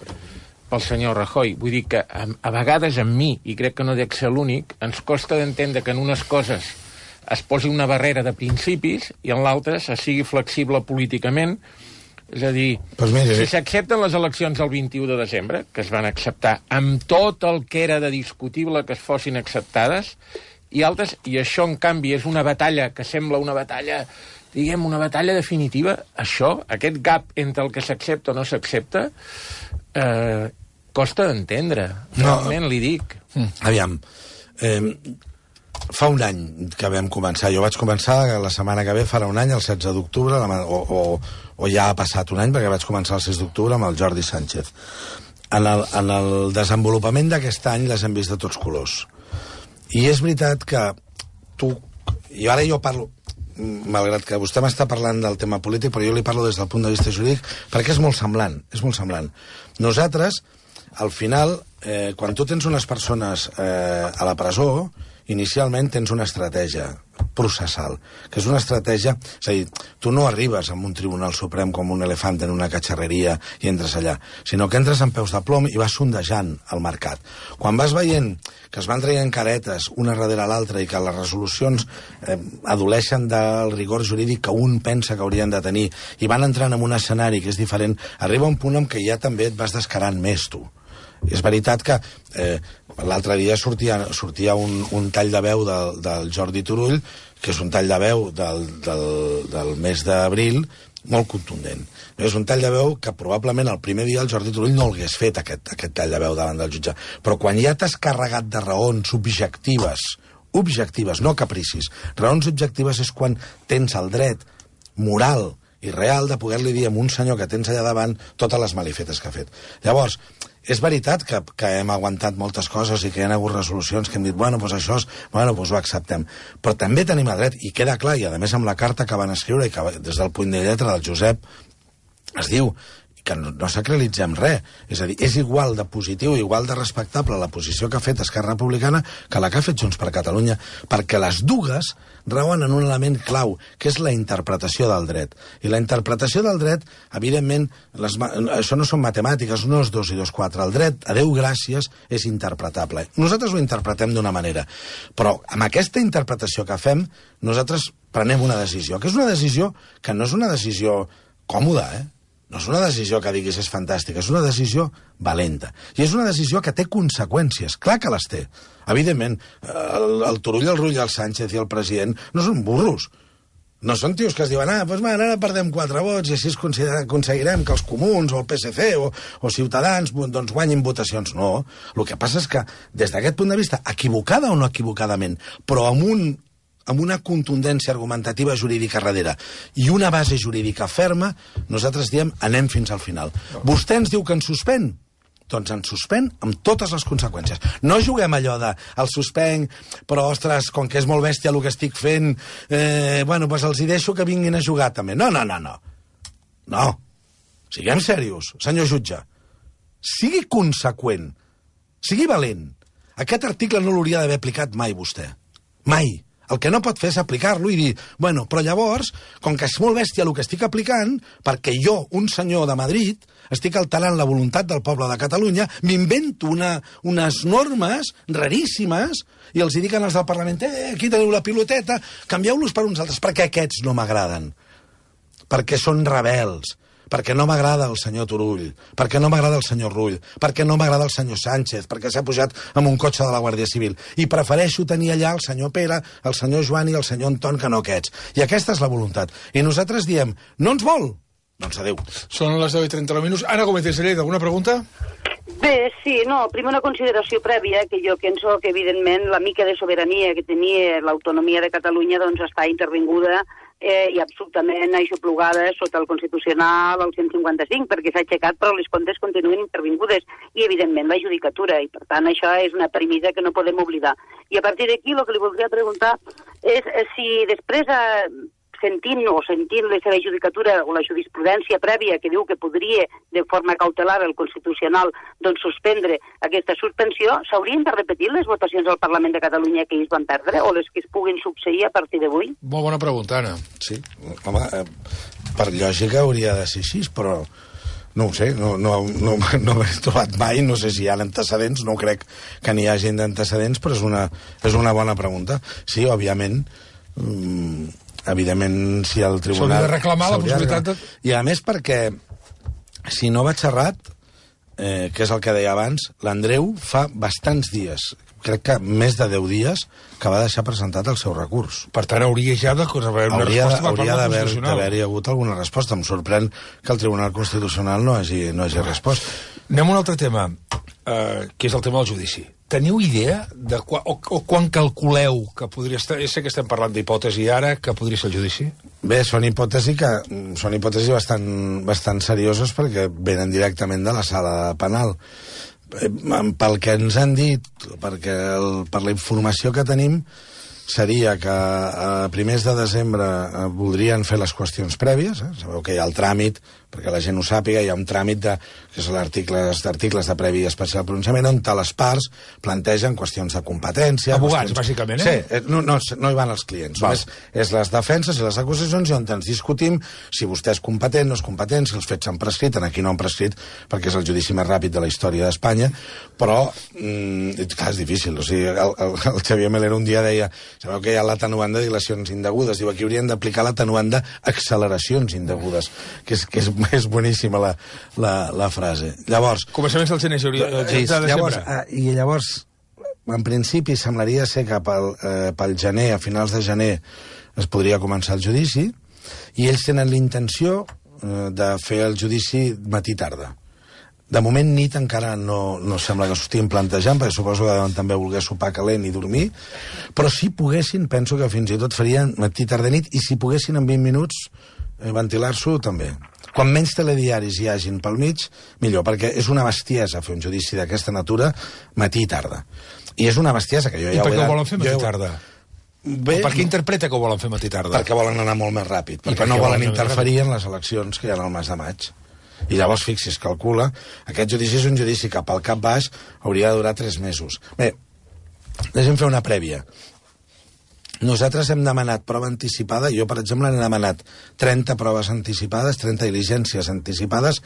pel senyor Rajoy. Vull dir que a vegades amb mi, i crec que no dec ser l'únic, ens costa d'entendre que en unes coses es posi una barrera de principis i en l'altre se sigui flexible políticament. És a dir, si s'accepten les eleccions el 21 de desembre, que es van acceptar amb tot el que era de discutible que es fossin acceptades, i altres, i això en canvi és una batalla que sembla una batalla, diguem, una batalla definitiva, això, aquest gap entre el que s'accepta o no s'accepta, costa d'entendre. Realment li dic. Aviam, fa un any que vam començar, jo vaig començar la setmana que ve, farà un any, el 16 d'octubre, o ja ha passat un any, perquè vaig començar el 6 d'octubre amb el Jordi Sánchez. En el desenvolupament d'aquest any les hem vist de tots colors. I és veritat que i ara jo parlo, malgrat que vostè m'està parlant del tema polític, però jo li parlo des del punt de vista jurídic, perquè és molt semblant, Nosaltres, al final, quan tu tens unes persones a la presó, inicialment tens una estratègia. processal, que és una estratègia... És a dir, tu no arribes a un tribunal suprem com un elefant en una catxarreria i entres allà, sinó que entres amb peus de plom i vas sondejant el mercat. Quan vas veient que es van traient caretes una darrere l'altra i que les resolucions adoleixen del rigor jurídic que un pensa que haurien de tenir i van entrant en un escenari que és diferent, arriba un punt en què ja també et vas descarant més, tu. És veritat que l'altre dia sortia un tall de veu del Jordi Turull, que és un tall de veu del mes d'abril, molt contundent. És un tall de veu que probablement el primer dia el Jordi Turull no l'hagués fet, aquest tall de veu davant del jutge. Però quan ja t'has carregat de raons objectives, no capricis, raons objectives és quan tens el dret moral i real de poder-li dir a un senyor que tens allà davant totes les malifetes que ha fet. Llavors, és veritat que hem aguantat moltes coses i que hi ha hagut resolucions que hem dit, bueno, doncs això ho acceptem. Però també tenim el dret, i queda clar, i a més amb la carta que van escriure, i que des del punt de lletra del Josep es diu que no sacralitzem res. És a dir, és igual de positiu, igual de respectable la posició que ha fet Esquerra Republicana que la que ha fet Junts per Catalunya, perquè les dues rauen en un element clau, que és la interpretació del dret. I la interpretació del dret, evidentment, això no són matemàtiques, no és 2 i 2, 4. El dret, a Déu gràcies, és interpretable. Nosaltres ho interpretem d'una manera, però amb aquesta interpretació que fem, nosaltres prenem una decisió, que és una decisió que no és una decisió còmoda, no és una decisió que diguis és fantàstica, és una decisió valenta. I és una decisió que té conseqüències, clar que les té. Evidentment, el Turull, el Rull, el Sánchez i el president no són burros. No són tios que es diuen, doncs ara perdem 4 vots i així aconseguirem que els comuns o el PSC o Ciutadans doncs guanyin votacions. No, el que passa és que, des d'aquest punt de vista, equivocada o no equivocadament, però amb una contundència argumentativa jurídica darrere i una base jurídica ferma, nosaltres diem anem fins al final. Vostè ens diu que ens suspèn? Doncs ens suspèn amb totes les conseqüències. No juguem allò de el suspenc, però, ostres, com que és molt bèstia el que estic fent, doncs els hi deixo que vinguin a jugar també. No. No. Siguem serios, senyor jutge. Sigui conseqüent. Sigui valent. Aquest article no l'hauria d'haver aplicat mai vostè. Mai. El que no pot fer és aplicar-lo i dir, però llavors, com que és molt bèstia el que estic aplicant, perquè jo, un senyor de Madrid, estic alterant la voluntat del poble de Catalunya, m'invento unes normes raríssimes i els hi dic als del Parlament, aquí teniu la piloteta, canvieu-los per uns altres, perquè aquests no m'agraden, perquè són rebels, perquè no m'agrada el senyor Turull, perquè no m'agrada el senyor Rull, perquè no m'agrada el senyor Sánchez, perquè s'ha pujat amb un cotxe de la Guàrdia Civil. I prefereixo tenir allà el senyor Pere, el senyor Joan i el senyor Anton que no aquests. I aquesta és la voluntat. I nosaltres diem, no ens vol? Doncs adéu. Són les 10:39 minuts. Ana Gómez de Salleda, alguna pregunta? Bé, sí, primer una consideració prèvia, que jo penso que, evidentment, la mica de sobirania que tenia l'autonomia de Catalunya doncs està intervinguda i absolutament aixoplugada sota el Constitucional, el 155, perquè s'ha aixecat però les comptes continuen intervingudes i, evidentment, la judicatura. I, per tant, això és una premissa que no podem oblidar. I a partir d'aquí, el que li voldria preguntar és si després, sentint la seva judicatura o la jurisprudència prèvia que diu que podria, de forma cautelar, el Constitucional, doncs suspendre aquesta suspensió, s'haurien de repetir les votacions al Parlament de Catalunya que ells van perdre o les que es puguin succeir a partir d'avui? Molt bona pregunta, Anna. Sí, home, per lògica hauria de ser així, però no ho sé, no m'he trobat mai, no sé si hi ha antecedents, no crec que n'hi hagi d'antecedents, però és una bona pregunta. Sí, òbviament, si el tribunal... S'hauria de reclamar la possibilitat de... I a més perquè, si no vaig errat, que és el que deia abans, l'Andreu fa bastants dies, crec que més de 10 dies, que va deixar presentat el seu recurs. Per tant, hauria ja d'haver una resposta per part del Constitucional. Hauria d'haver-hi hagut alguna resposta. Em sorprèn que el Tribunal Constitucional no hagi respost. Anem a un altre tema, que és el tema del judici. Teniu idea de quan calculeu que podria estar... Sé que estem parlant d'hipòtesi ara, que podria ser el judici? Bé, són hipòtesis bastant serioses perquè venen directament de la sala penal. Pel que ens han dit, per la informació que tenim, seria que a primers de desembre voldrien fer les qüestions prèvies. Sabeu que hi ha el tràmit, perquè la gent ho sàpiga, hi ha un tràmit que són articles de previ i especial pronunciament, on les parts plantegen qüestions de competència... Abogats, bàsicament, Sí, no hi van els clients. És les defenses i les acusacions i on ens discutim si vostè és competent, no és competent, si els fets s'han prescrit, aquí no han prescrit, perquè és el judici més ràpid de la història d'Espanya, però, clar, és difícil. O sigui, el Xavier Melero un dia deia, sabeu que hi ha l'atenuant de dilacions indegudes, diu, aquí haurien d'aplicar l'atenuant d'acceleracions indegudes, que és boníssima la frase. Llavors... Començaments del gener, llavors, en principi, semblaria ser que pel gener, a finals de gener, es podria començar el judici, i ells tenen l'intenció de fer el judici matí-tarda. De moment, nit encara no sembla que s'ho estiguin plantejant, perquè suposo que deuen també voler sopar calent i dormir, però si poguessin, penso que fins i tot farien matí-tarda-nit, i si poguessin en 20 minuts ventilar-s'ho, també. Quan menys telediaris hi hagin pel mig, millor, perquè és una bestiesa fer un judici d'aquesta natura matí i tarda. I és una bestiesa que jo ja ho he... I per què ho volen fer matí i tarda? Bé, per què interpreta que ho volen fer matí i tarda? Perquè volen anar molt més ràpid, perquè no volen interferir en les eleccions que hi ha al mes de maig. I llavors, fixis, calcula, aquest judici és un judici que pel cap baix hauria de durar 3 mesos. Bé, deixem fer una prèvia. Nosaltres hem demanat prova anticipada, jo, per exemple, he demanat 30 proves anticipades, 30 diligències anticipades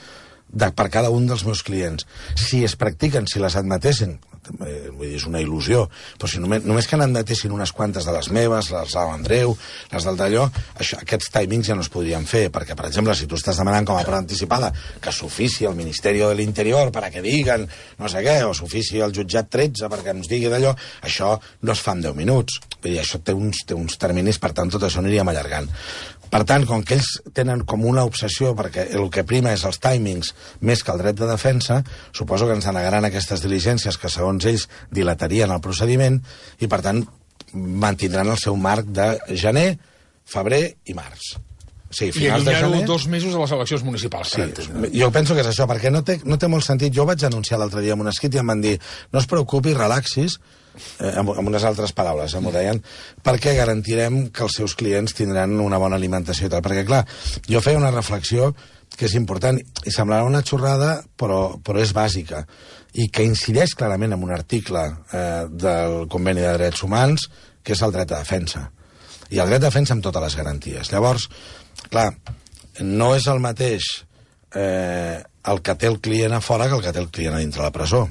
per cada un dels meus clients. Si es practiquen, si les admetessin, vull dir, és una il·lusió, però si només que n'admetessin unes quantes de les meves, les de l'Andreu, les del d'allò, aquests timings ja no es podrien fer, perquè, per exemple, si tu estàs demanant com a prova anticipada que s'ofici el Ministeri de l'Interior per a que diguen no sé què, o s'ofici el jutjat 13 perquè ens digui d'allò, això no es fa en 10 minuts. Vull dir, això té uns terminis, per tant, tot això aniríem allargant. Per tant, com que ells tenen com una obsessió, perquè el que prima és els timings més que el dret de defensa, suposo que ens denegaran aquestes diligències que, segons ells, dilatarien el procediment i, per tant, mantindran el seu marc de gener, febrer i març. Sí, i allunyar-ho 2 mesos a les eleccions municipals. Sí, jo penso que és això, perquè no té molt sentit. Jo vaig anunciar l'altre dia en un escrit i em van dir no es preocupi, relaxis, amb unes altres paraules, m'ho deien, perquè garantirem que els seus clients tindran una bona alimentació i tal. Perquè, clar, jo feia una reflexió que és important, i semblarà una xorrada, però és bàsica, i que incideix clarament en un article del Conveni de Drets Humans, que és el dret de defensa. I el dret de defensa amb totes les garanties. Llavors, clar, no és el mateix el que té el client a fora que el que té el client a dintre la presó.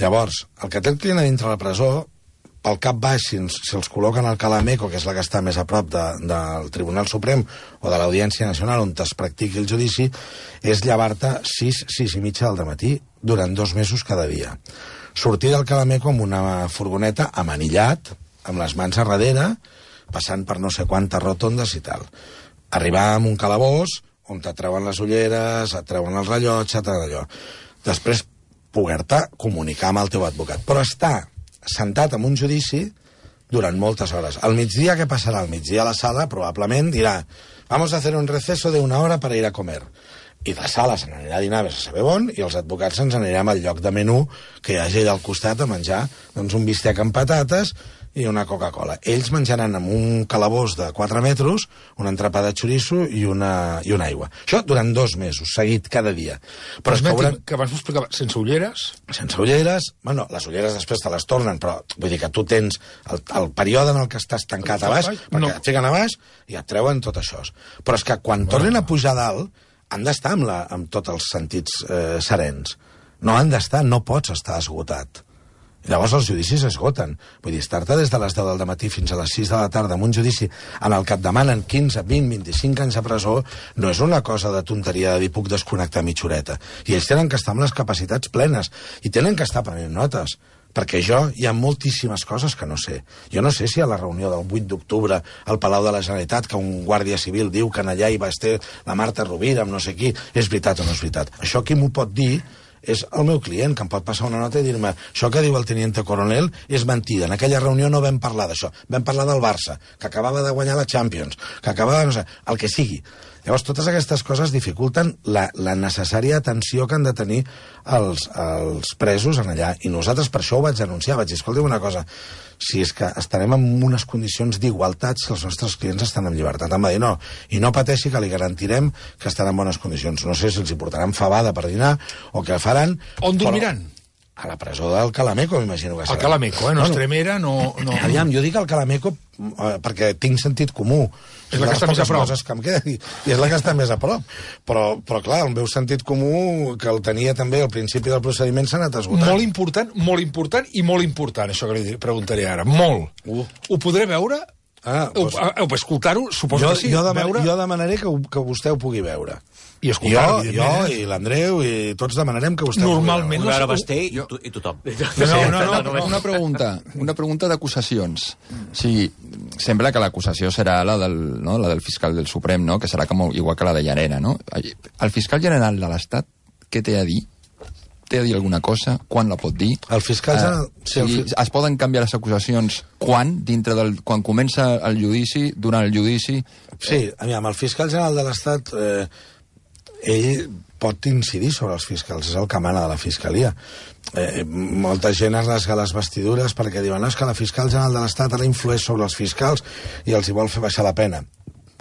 Llavors, el que té el client a dintre la presó, pel cap baix, si els col·loquen al Calameco, que és la que està més a prop del Tribunal Suprem o de l'Audiència Nacional, on es practiqui el judici, és llevar-te 6 i mitja del dematí durant 2 mesos cada dia. Sortir del Calameco amb una furgoneta amanillat, amb les mans a darrere, passant per no sé quantes rotondes i tal. Arribar a un calabós on et treuen les ulleres, et treuen el rellotge, tot allò. Després, poder-te comunicar amb el teu advocat. Però estar sentat en un judici durant moltes hores. Al migdia, què passarà? Al migdia a la sala probablement dirà vamos a hacer un receso de 1 hora para ir a comer. I la sala se n'anirà a dinar a saber on, i els advocats ens anirem al lloc de menú que hi hagi allà al costat a menjar doncs, un bistec amb patates i una Coca-Cola. Ells menjaran amb un calabós de 4 metres, un entrepà de xoriço i una aigua. Això durant 2 mesos, seguit, cada dia. Però que abans m'explicava, sense ulleres? Sense ulleres, bueno, les ulleres després te les tornen, però vull dir que tu tens el període en el que estàs tancat a baix, perquè et fiquen a baix i et treuen tot això. Però és que quan tornen a pujar dalt, han d'estar amb tots els sentits serens. No han d'estar, no pots estar esgotat. Llavors els judicis esgoten. Vull dir, estar-te des de les 10 del matí fins a les 6 de la tarda en un judici en el que et demanen 15, 20, 25 anys a presó no és una cosa de tonteria de dir puc desconnectar mitja horeta. I ells tenen que estar amb les capacitats plenes i tenen que estar prenent notes. Perquè hi ha moltíssimes coses que no sé. Jo no sé si a la reunió del 8 d'octubre al Palau de la Generalitat que un guàrdia civil diu que allà hi va estar la Marta Rovira amb no sé qui, és veritat o no és veritat. Això qui m'ho pot dir és el meu client, que em pot passar una nota i dir-me això que diu el teniente coronel és mentida. En aquella reunió no vam parlar d'això. Vam parlar del Barça, que acabava de guanyar la Champions, que acabava, no sé, el que sigui. Llavors, totes aquestes coses dificulten la necessària atenció que han de tenir els presos en allà. I nosaltres per això ho vaig denunciar. Vaig dir, escolta'm una cosa, si és que estarem en unes condicions d'igualtat si els nostres clients estan en llibertat. Em va dir, no, i no pateixi que li garantirem que estarà en bones condicions. No sé si els hi portaran fabada per dinar o què faran. On dormiran? A la presó del Calameco, m'imagino que serà. El Calameco, no Estremera, no... Aviam, jo dic el Calameco perquè tinc sentit comú. És la que està més a prop. Que em queden, i és la que està més a prop. Però clar, el meu sentit comú, que el tenia també al principi del procediment, s'ha anat esgotant. Molt important i molt important, això que li preguntaré ara. Molt. Ho podré veure? Escoltar-ho, suposo que sí. Jo demanaré que vostè ho pugui veure. I escoltar-ho, jo i l'Andreu i tots demanarem que vostè normalment ho veure Basté i tothom. Una pregunta d'acusacions. O sigui, sembla que l'acusació serà la del fiscal del Suprem, no? Que serà igual que la de Llarena, no? El fiscal general de l'Estat, què té a dir? Té a dir alguna cosa? Quan la pot dir? El fiscal general... Es poden canviar les acusacions quan comença el judici, durant el judici... Sí, aviam, el fiscal general de l'Estat... ell pot incidir sobre els fiscals, és el que mana de la Fiscalia. Molta gent es rasga les vestidures perquè diuen no, és que la fiscal general de l'Estat ara influeix sobre els fiscals i els hi vol fer baixar la pena.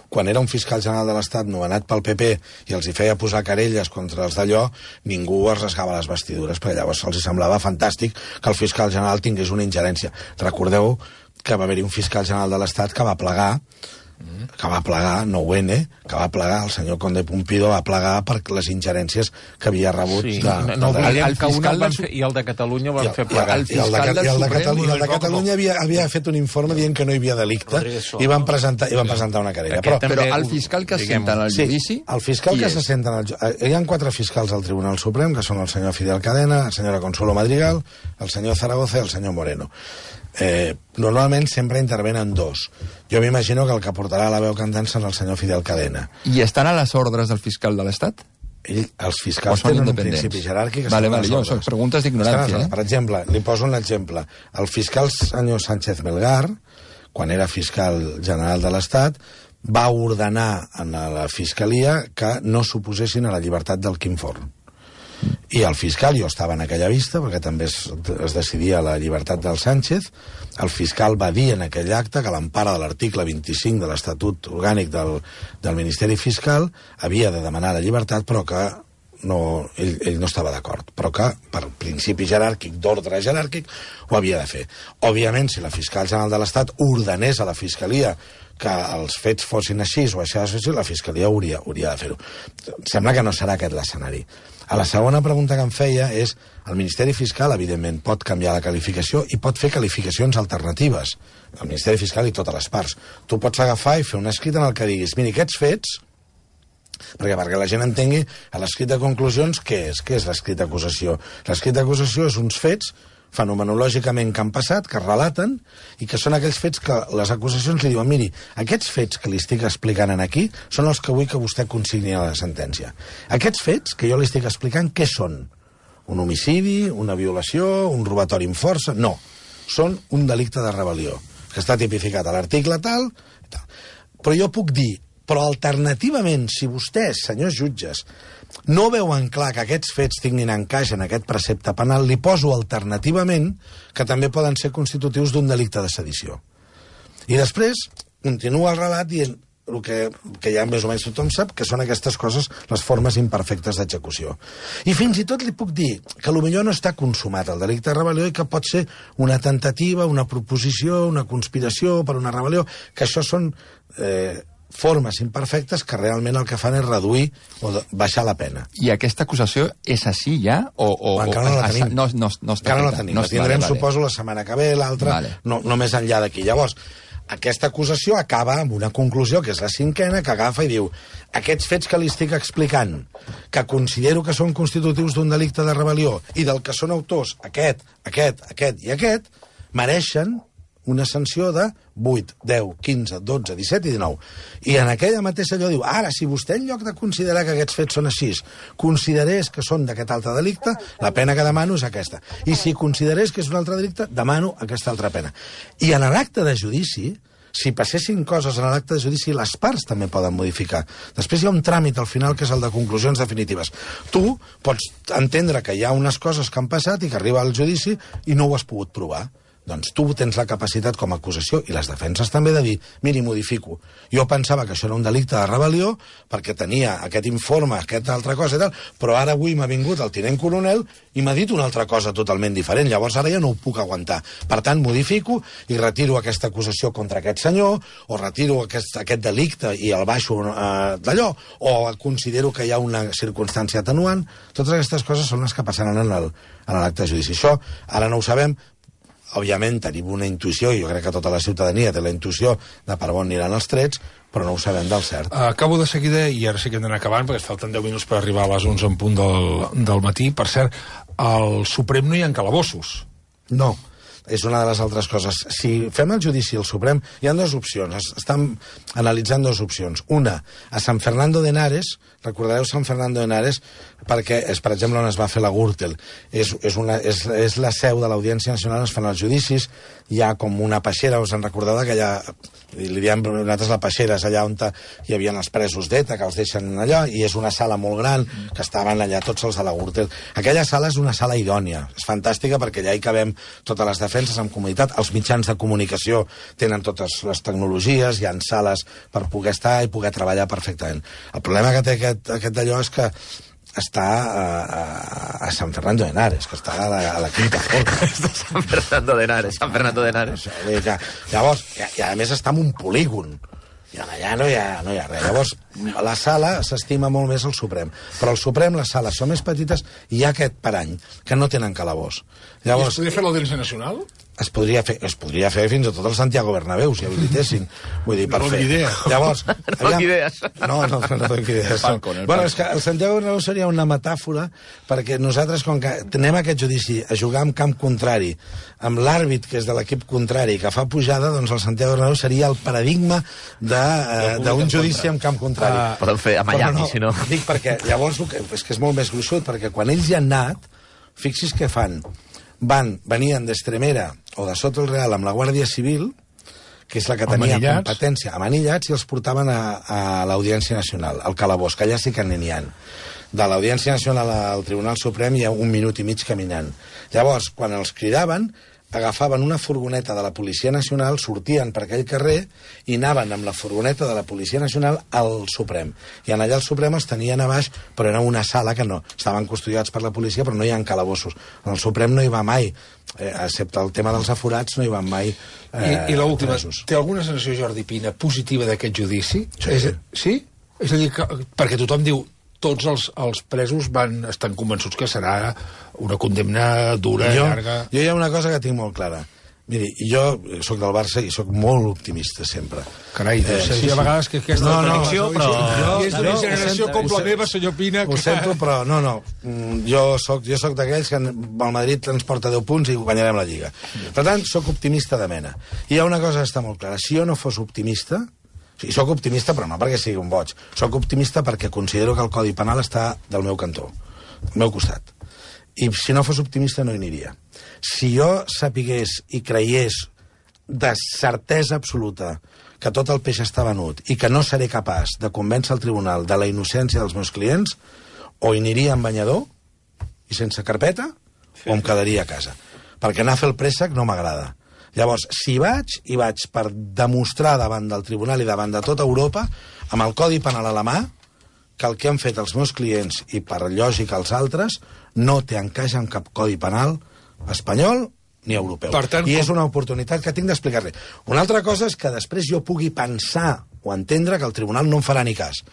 Quan era un fiscal general de l'Estat nomenat pel PP i els hi feia posar querelles contra els d'allò, ningú es rasgava les vestidures, perquè llavors els semblava fantàstic que el fiscal general tingués una ingerència. Recordeu que va haver-hi un fiscal general de l'Estat que va plegar, que va plegar, el senyor Conde Pumpido va plegar per les ingerències que havia rebut. Sí, el fiscal i el de Catalunya van fer plegar. I el de Catalunya havia fet un informe dient que no hi havia delicte i van presentar una querella. Però el fiscal que s'assenta en el judici... El fiscal que s'assenta en el judici... Hi ha 4 fiscals al Tribunal Suprem, que són el senyor Fidel Cadena, la senyora Consuelo Madrigal, el senyor Zaragoza i el senyor Moreno. Normalment sempre intervenen 2. Jo m'imagino que el que portarà la veu cantant serà el senyor Fidel Cadena. I estan a les ordres del fiscal de l'Estat? Els fiscals tenen un principi jeràrquic. Són preguntes d'ignorància. Per exemple, li poso un exemple. El fiscal senyor Sánchez Melgar, quan era fiscal general de l'Estat, va ordenar a la Fiscalia que no s'oposessin a la llibertat del Quim Forn. I el fiscal, jo estava en aquella vista, perquè també es decidia la llibertat del Sánchez, el fiscal va dir en aquell acte que a l'empara de l'article 25 de l'Estatut Orgànic del Ministeri Fiscal havia de demanar la llibertat, però que ell no estava d'acord, però que per principi jeràrquic, d'ordre jeràrquic, ho havia de fer. Òbviament, si la fiscal general de l'Estat ordenés a la Fiscalia que els fets fossin així o això, la Fiscalia hauria de fer-ho. Sembla que no serà aquest l'escenari. A la segona pregunta que em feia és, el Ministeri Fiscal, evidentment, pot canviar la qualificació i pot fer qualificacions alternatives. El Ministeri Fiscal i totes les parts. Tu pots agafar i fer un escrit en el que diguis, mira, aquests fets, perquè la gent entengui a l'escrit de conclusions què és l'escrit d'acusació. L'escrit d'acusació és uns fets fenomenològicament que han passat, que es relaten, i que són aquells fets que les acusacions li diuen, miri, aquests fets que li estic explicant aquí són els que vull que vostè consigni a la sentència. Aquests fets que jo li estic explicant, què són? Un homicidi, una violació, un robatori amb força? No, són un delicte de rebel·lió, que està tipificat a l'article tal, però jo puc dir, però alternativament, si vostès, senyors jutges, no veuen clar que aquests fets tinguin encaix en aquest precepte penal, li poso alternativament que també poden ser constitutius d'un delicte de sedició. I després continua el relat dient el que ja més o menys tothom sap, que són aquestes coses, les formes imperfectes d'execució. I fins i tot li puc dir que potser no està consumat el delicte de rebel·lió i que pot ser una tentativa, una proposició, una conspiració per una rebel·lió, que això són formes imperfectes que realment el que fan és reduir o baixar la pena. I aquesta acusació és així ja? Encara no la tenim. No està encara no la tenim. La tindrem, suposo, la setmana que ve, l'altra, no més enllà d'aquí. Llavors, aquesta acusació acaba amb una conclusió, que és la 5ª, que agafa i diu aquests fets que li estic explicant, que considero que són constitutius d'un delicte de rebel·lió i del que són autors aquest i aquest, mereixen una sanció de 8, 10, 15, 12, 17 i 19. I en aquella mateixa allò diu, ara, si vostè en lloc de considerar que aquests fets són així, considerés que són d'aquest altre delicte, la pena que demano és aquesta. I si considerés que és un altre delicte, demano aquesta altra pena. I en l'acte de judici si passessin coses en l'acte de judici, les parts també poden modificar. Després hi ha un tràmit al final que és el de conclusions definitives. Tu pots entendre que hi ha unes coses que han passat i que arriba al judici i no ho has pogut provar. Doncs tu tens la capacitat com a acusació i les defenses també de dir, miri, modifico. Jo pensava que això era un delicte de rebel·lió perquè tenia aquest informe, aquesta altra cosa i tal, però ara avui m'ha vingut el tinent coronel i m'ha dit una altra cosa totalment diferent. Llavors ara ja no ho puc aguantar. Per tant, modifico i retiro aquesta acusació contra aquest senyor o retiro aquest delicte i el baixo d'allò o considero que hi ha una circumstància atenuant. Totes aquestes coses són les que passaran en l'acte de judici. Això ara no ho sabem. Òbviament tenim una intuïció, i jo crec que tota la ciutadania té la intuïció de per on aniran els trets, però no ho sabem del cert. Acabo de seguida, i ara sí que hem d'anar acabant, perquè es falten 10 minuts per arribar a les 11 en punt del matí. Per cert, al Suprem no hi ha calabossos. No, és una de les altres coses. Si fem el judici al Suprem, hi ha dues opcions. Estan analitzant dues opcions. Una, a San Fernando de Henares, recordareu San Fernando de Henares, perquè és, per exemple, on es va fer la Gürtel. És la seu de l'Audiència Nacional, es fan els judicis, hi ha com una peixera, us en recordeu d'aquella, li diem nosaltres la peixera, és allà on hi havia els presos d'ETA, que els deixen allà, i és una sala molt gran, que estaven allà tots els de la Gürtel. Aquella sala és una sala idònia, és fantàstica perquè allà hi cabem totes les defenses en comoditat, els mitjans de comunicació tenen totes les tecnologies, hi ha sales per poder estar i poder treballar perfectament. El problema que té aquest d'allò és que està a San Fernando de Henares, que està a la quinta forca. San Fernando de Henares. Llavors, i a més està en un polígon. I allà no hi ha res. Llavors, la sala s'estima molt més al Suprem. Però al Suprem les sales són més petites i hi ha aquest parany, que no tenen calabós. Llavors, I es podria fer l'Audiència Nacional? Es podria fer fins i tot el Santiago Bernabéu, si habilitessin. Vull dir, per fer. Idea. Llavors, no idees. No dono idees. Bueno, és que el Santiago Bernabéu seria una metàfora perquè nosaltres, com que anem a aquest judici a jugar en camp contrari, amb l'àrbit que és de l'equip contrari, que fa pujada, doncs el Santiago Bernabéu seria el paradigma d'un judici en camp contrari. Poden fer a Miami, si no. Dic perquè llavors és que és molt més gruixut, perquè quan ells hi han anat, fixis què fan. Venien d'Estremera o de Soto el Real amb la Guàrdia Civil, que és la que tenia competència, amanillats, i els portaven a l'Audiència Nacional, al calabós, que allà sí que n'hi ha. De l'Audiència Nacional al Tribunal Suprem hi ha 1 minut i mig caminant. Llavors, quan els cridaven, agafaven una furgoneta de la Policia Nacional, sortien per aquell carrer i anaven amb la furgoneta de la Policia Nacional al Suprem. I allà al Suprem els tenien a baix, però era una sala que no. Estaven custodiats per la policia, però no hi ha calabossos. En el Suprem no hi va mai, excepte el tema dels aforats, no hi van mai I l'última, té alguna sensació, Jordi Pina, positiva d'aquest judici? Sí? És a dir, perquè tothom diu tots els presos estan convençuts que serà una condemna dura, llarga... Jo hi ha una cosa que tinc molt clara. Miri, jo soc del Barça i soc molt optimista sempre. Carai, Sergi, a vegades que aquesta contradicció, però... És d'una generació com la meva, senyor Pina... Ho sento, però no. Jo soc d'aquells que el Madrid ens porta 10 punts i guanyarem la Lliga. Per tant, soc optimista de mena. I hi ha una cosa que està molt clara. Si jo no fos optimista... I soc optimista, però no perquè sigui un boig. Soc optimista perquè considero que el Codi Penal està del meu cantó, del meu costat. I si no fos optimista no hi aniria. Si jo sapigués i creiés de certesa absoluta que tot el peix està venut i que no seré capaç de convèncer el tribunal de la innocència dels meus clients, o hi aniria en banyador i sense carpeta, o em quedaria a casa. Perquè anar a fer el préssec no m'agrada. Llavors, si vaig per demostrar davant del tribunal i davant de tota Europa, amb el Codi Penal a la mà, que el que han fet els meus clients, i per lògica els altres, no té encaix en cap Codi Penal espanyol ni europeu. Tant, I és una oportunitat que tinc d'explicar-li. Una altra cosa és que després jo pugui pensar o entendre que el tribunal no em farà ni cas,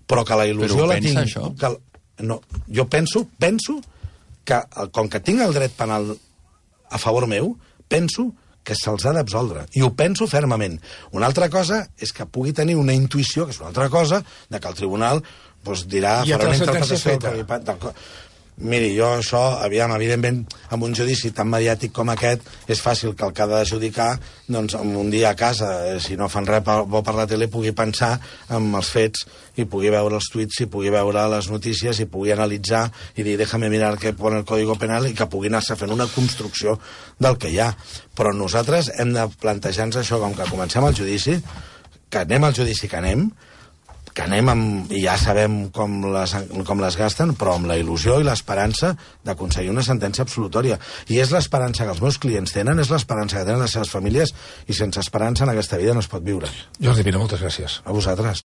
però que la il·lusió la tinc... Això? No, jo penso que, com que tinc el dret penal a favor meu, penso que se'ls ha d'absoldre. I ho penso fermament. Una altra cosa és que pugui tenir una intuïció, que és una altra cosa, de que el tribunal dirà, farà una interpretació... Miri, jo això, aviam, evidentment, amb un judici tan mediàtic com aquest, és fàcil que el que ha de judicar, doncs, un dia a casa, si no fan res bo per la tele, pugui pensar en els fets i pugui veure els tuits, i pugui veure les notícies, i pugui analitzar i dir, déjame mirar què pone el Código Penal, i que pugui anar-se fent una construcció del que hi ha. Però nosaltres hem de plantejar-nos això, com que comencem el judici, que anem al judici que anem i ja sabem com les gasten, però amb la il·lusió i l'esperança d'aconseguir una sentència absolutòria. I és l'esperança que els meus clients tenen, és l'esperança que tenen les seves famílies, i sense esperança en aquesta vida no es pot viure. Jordi Pina, moltes gràcies. A vosaltres.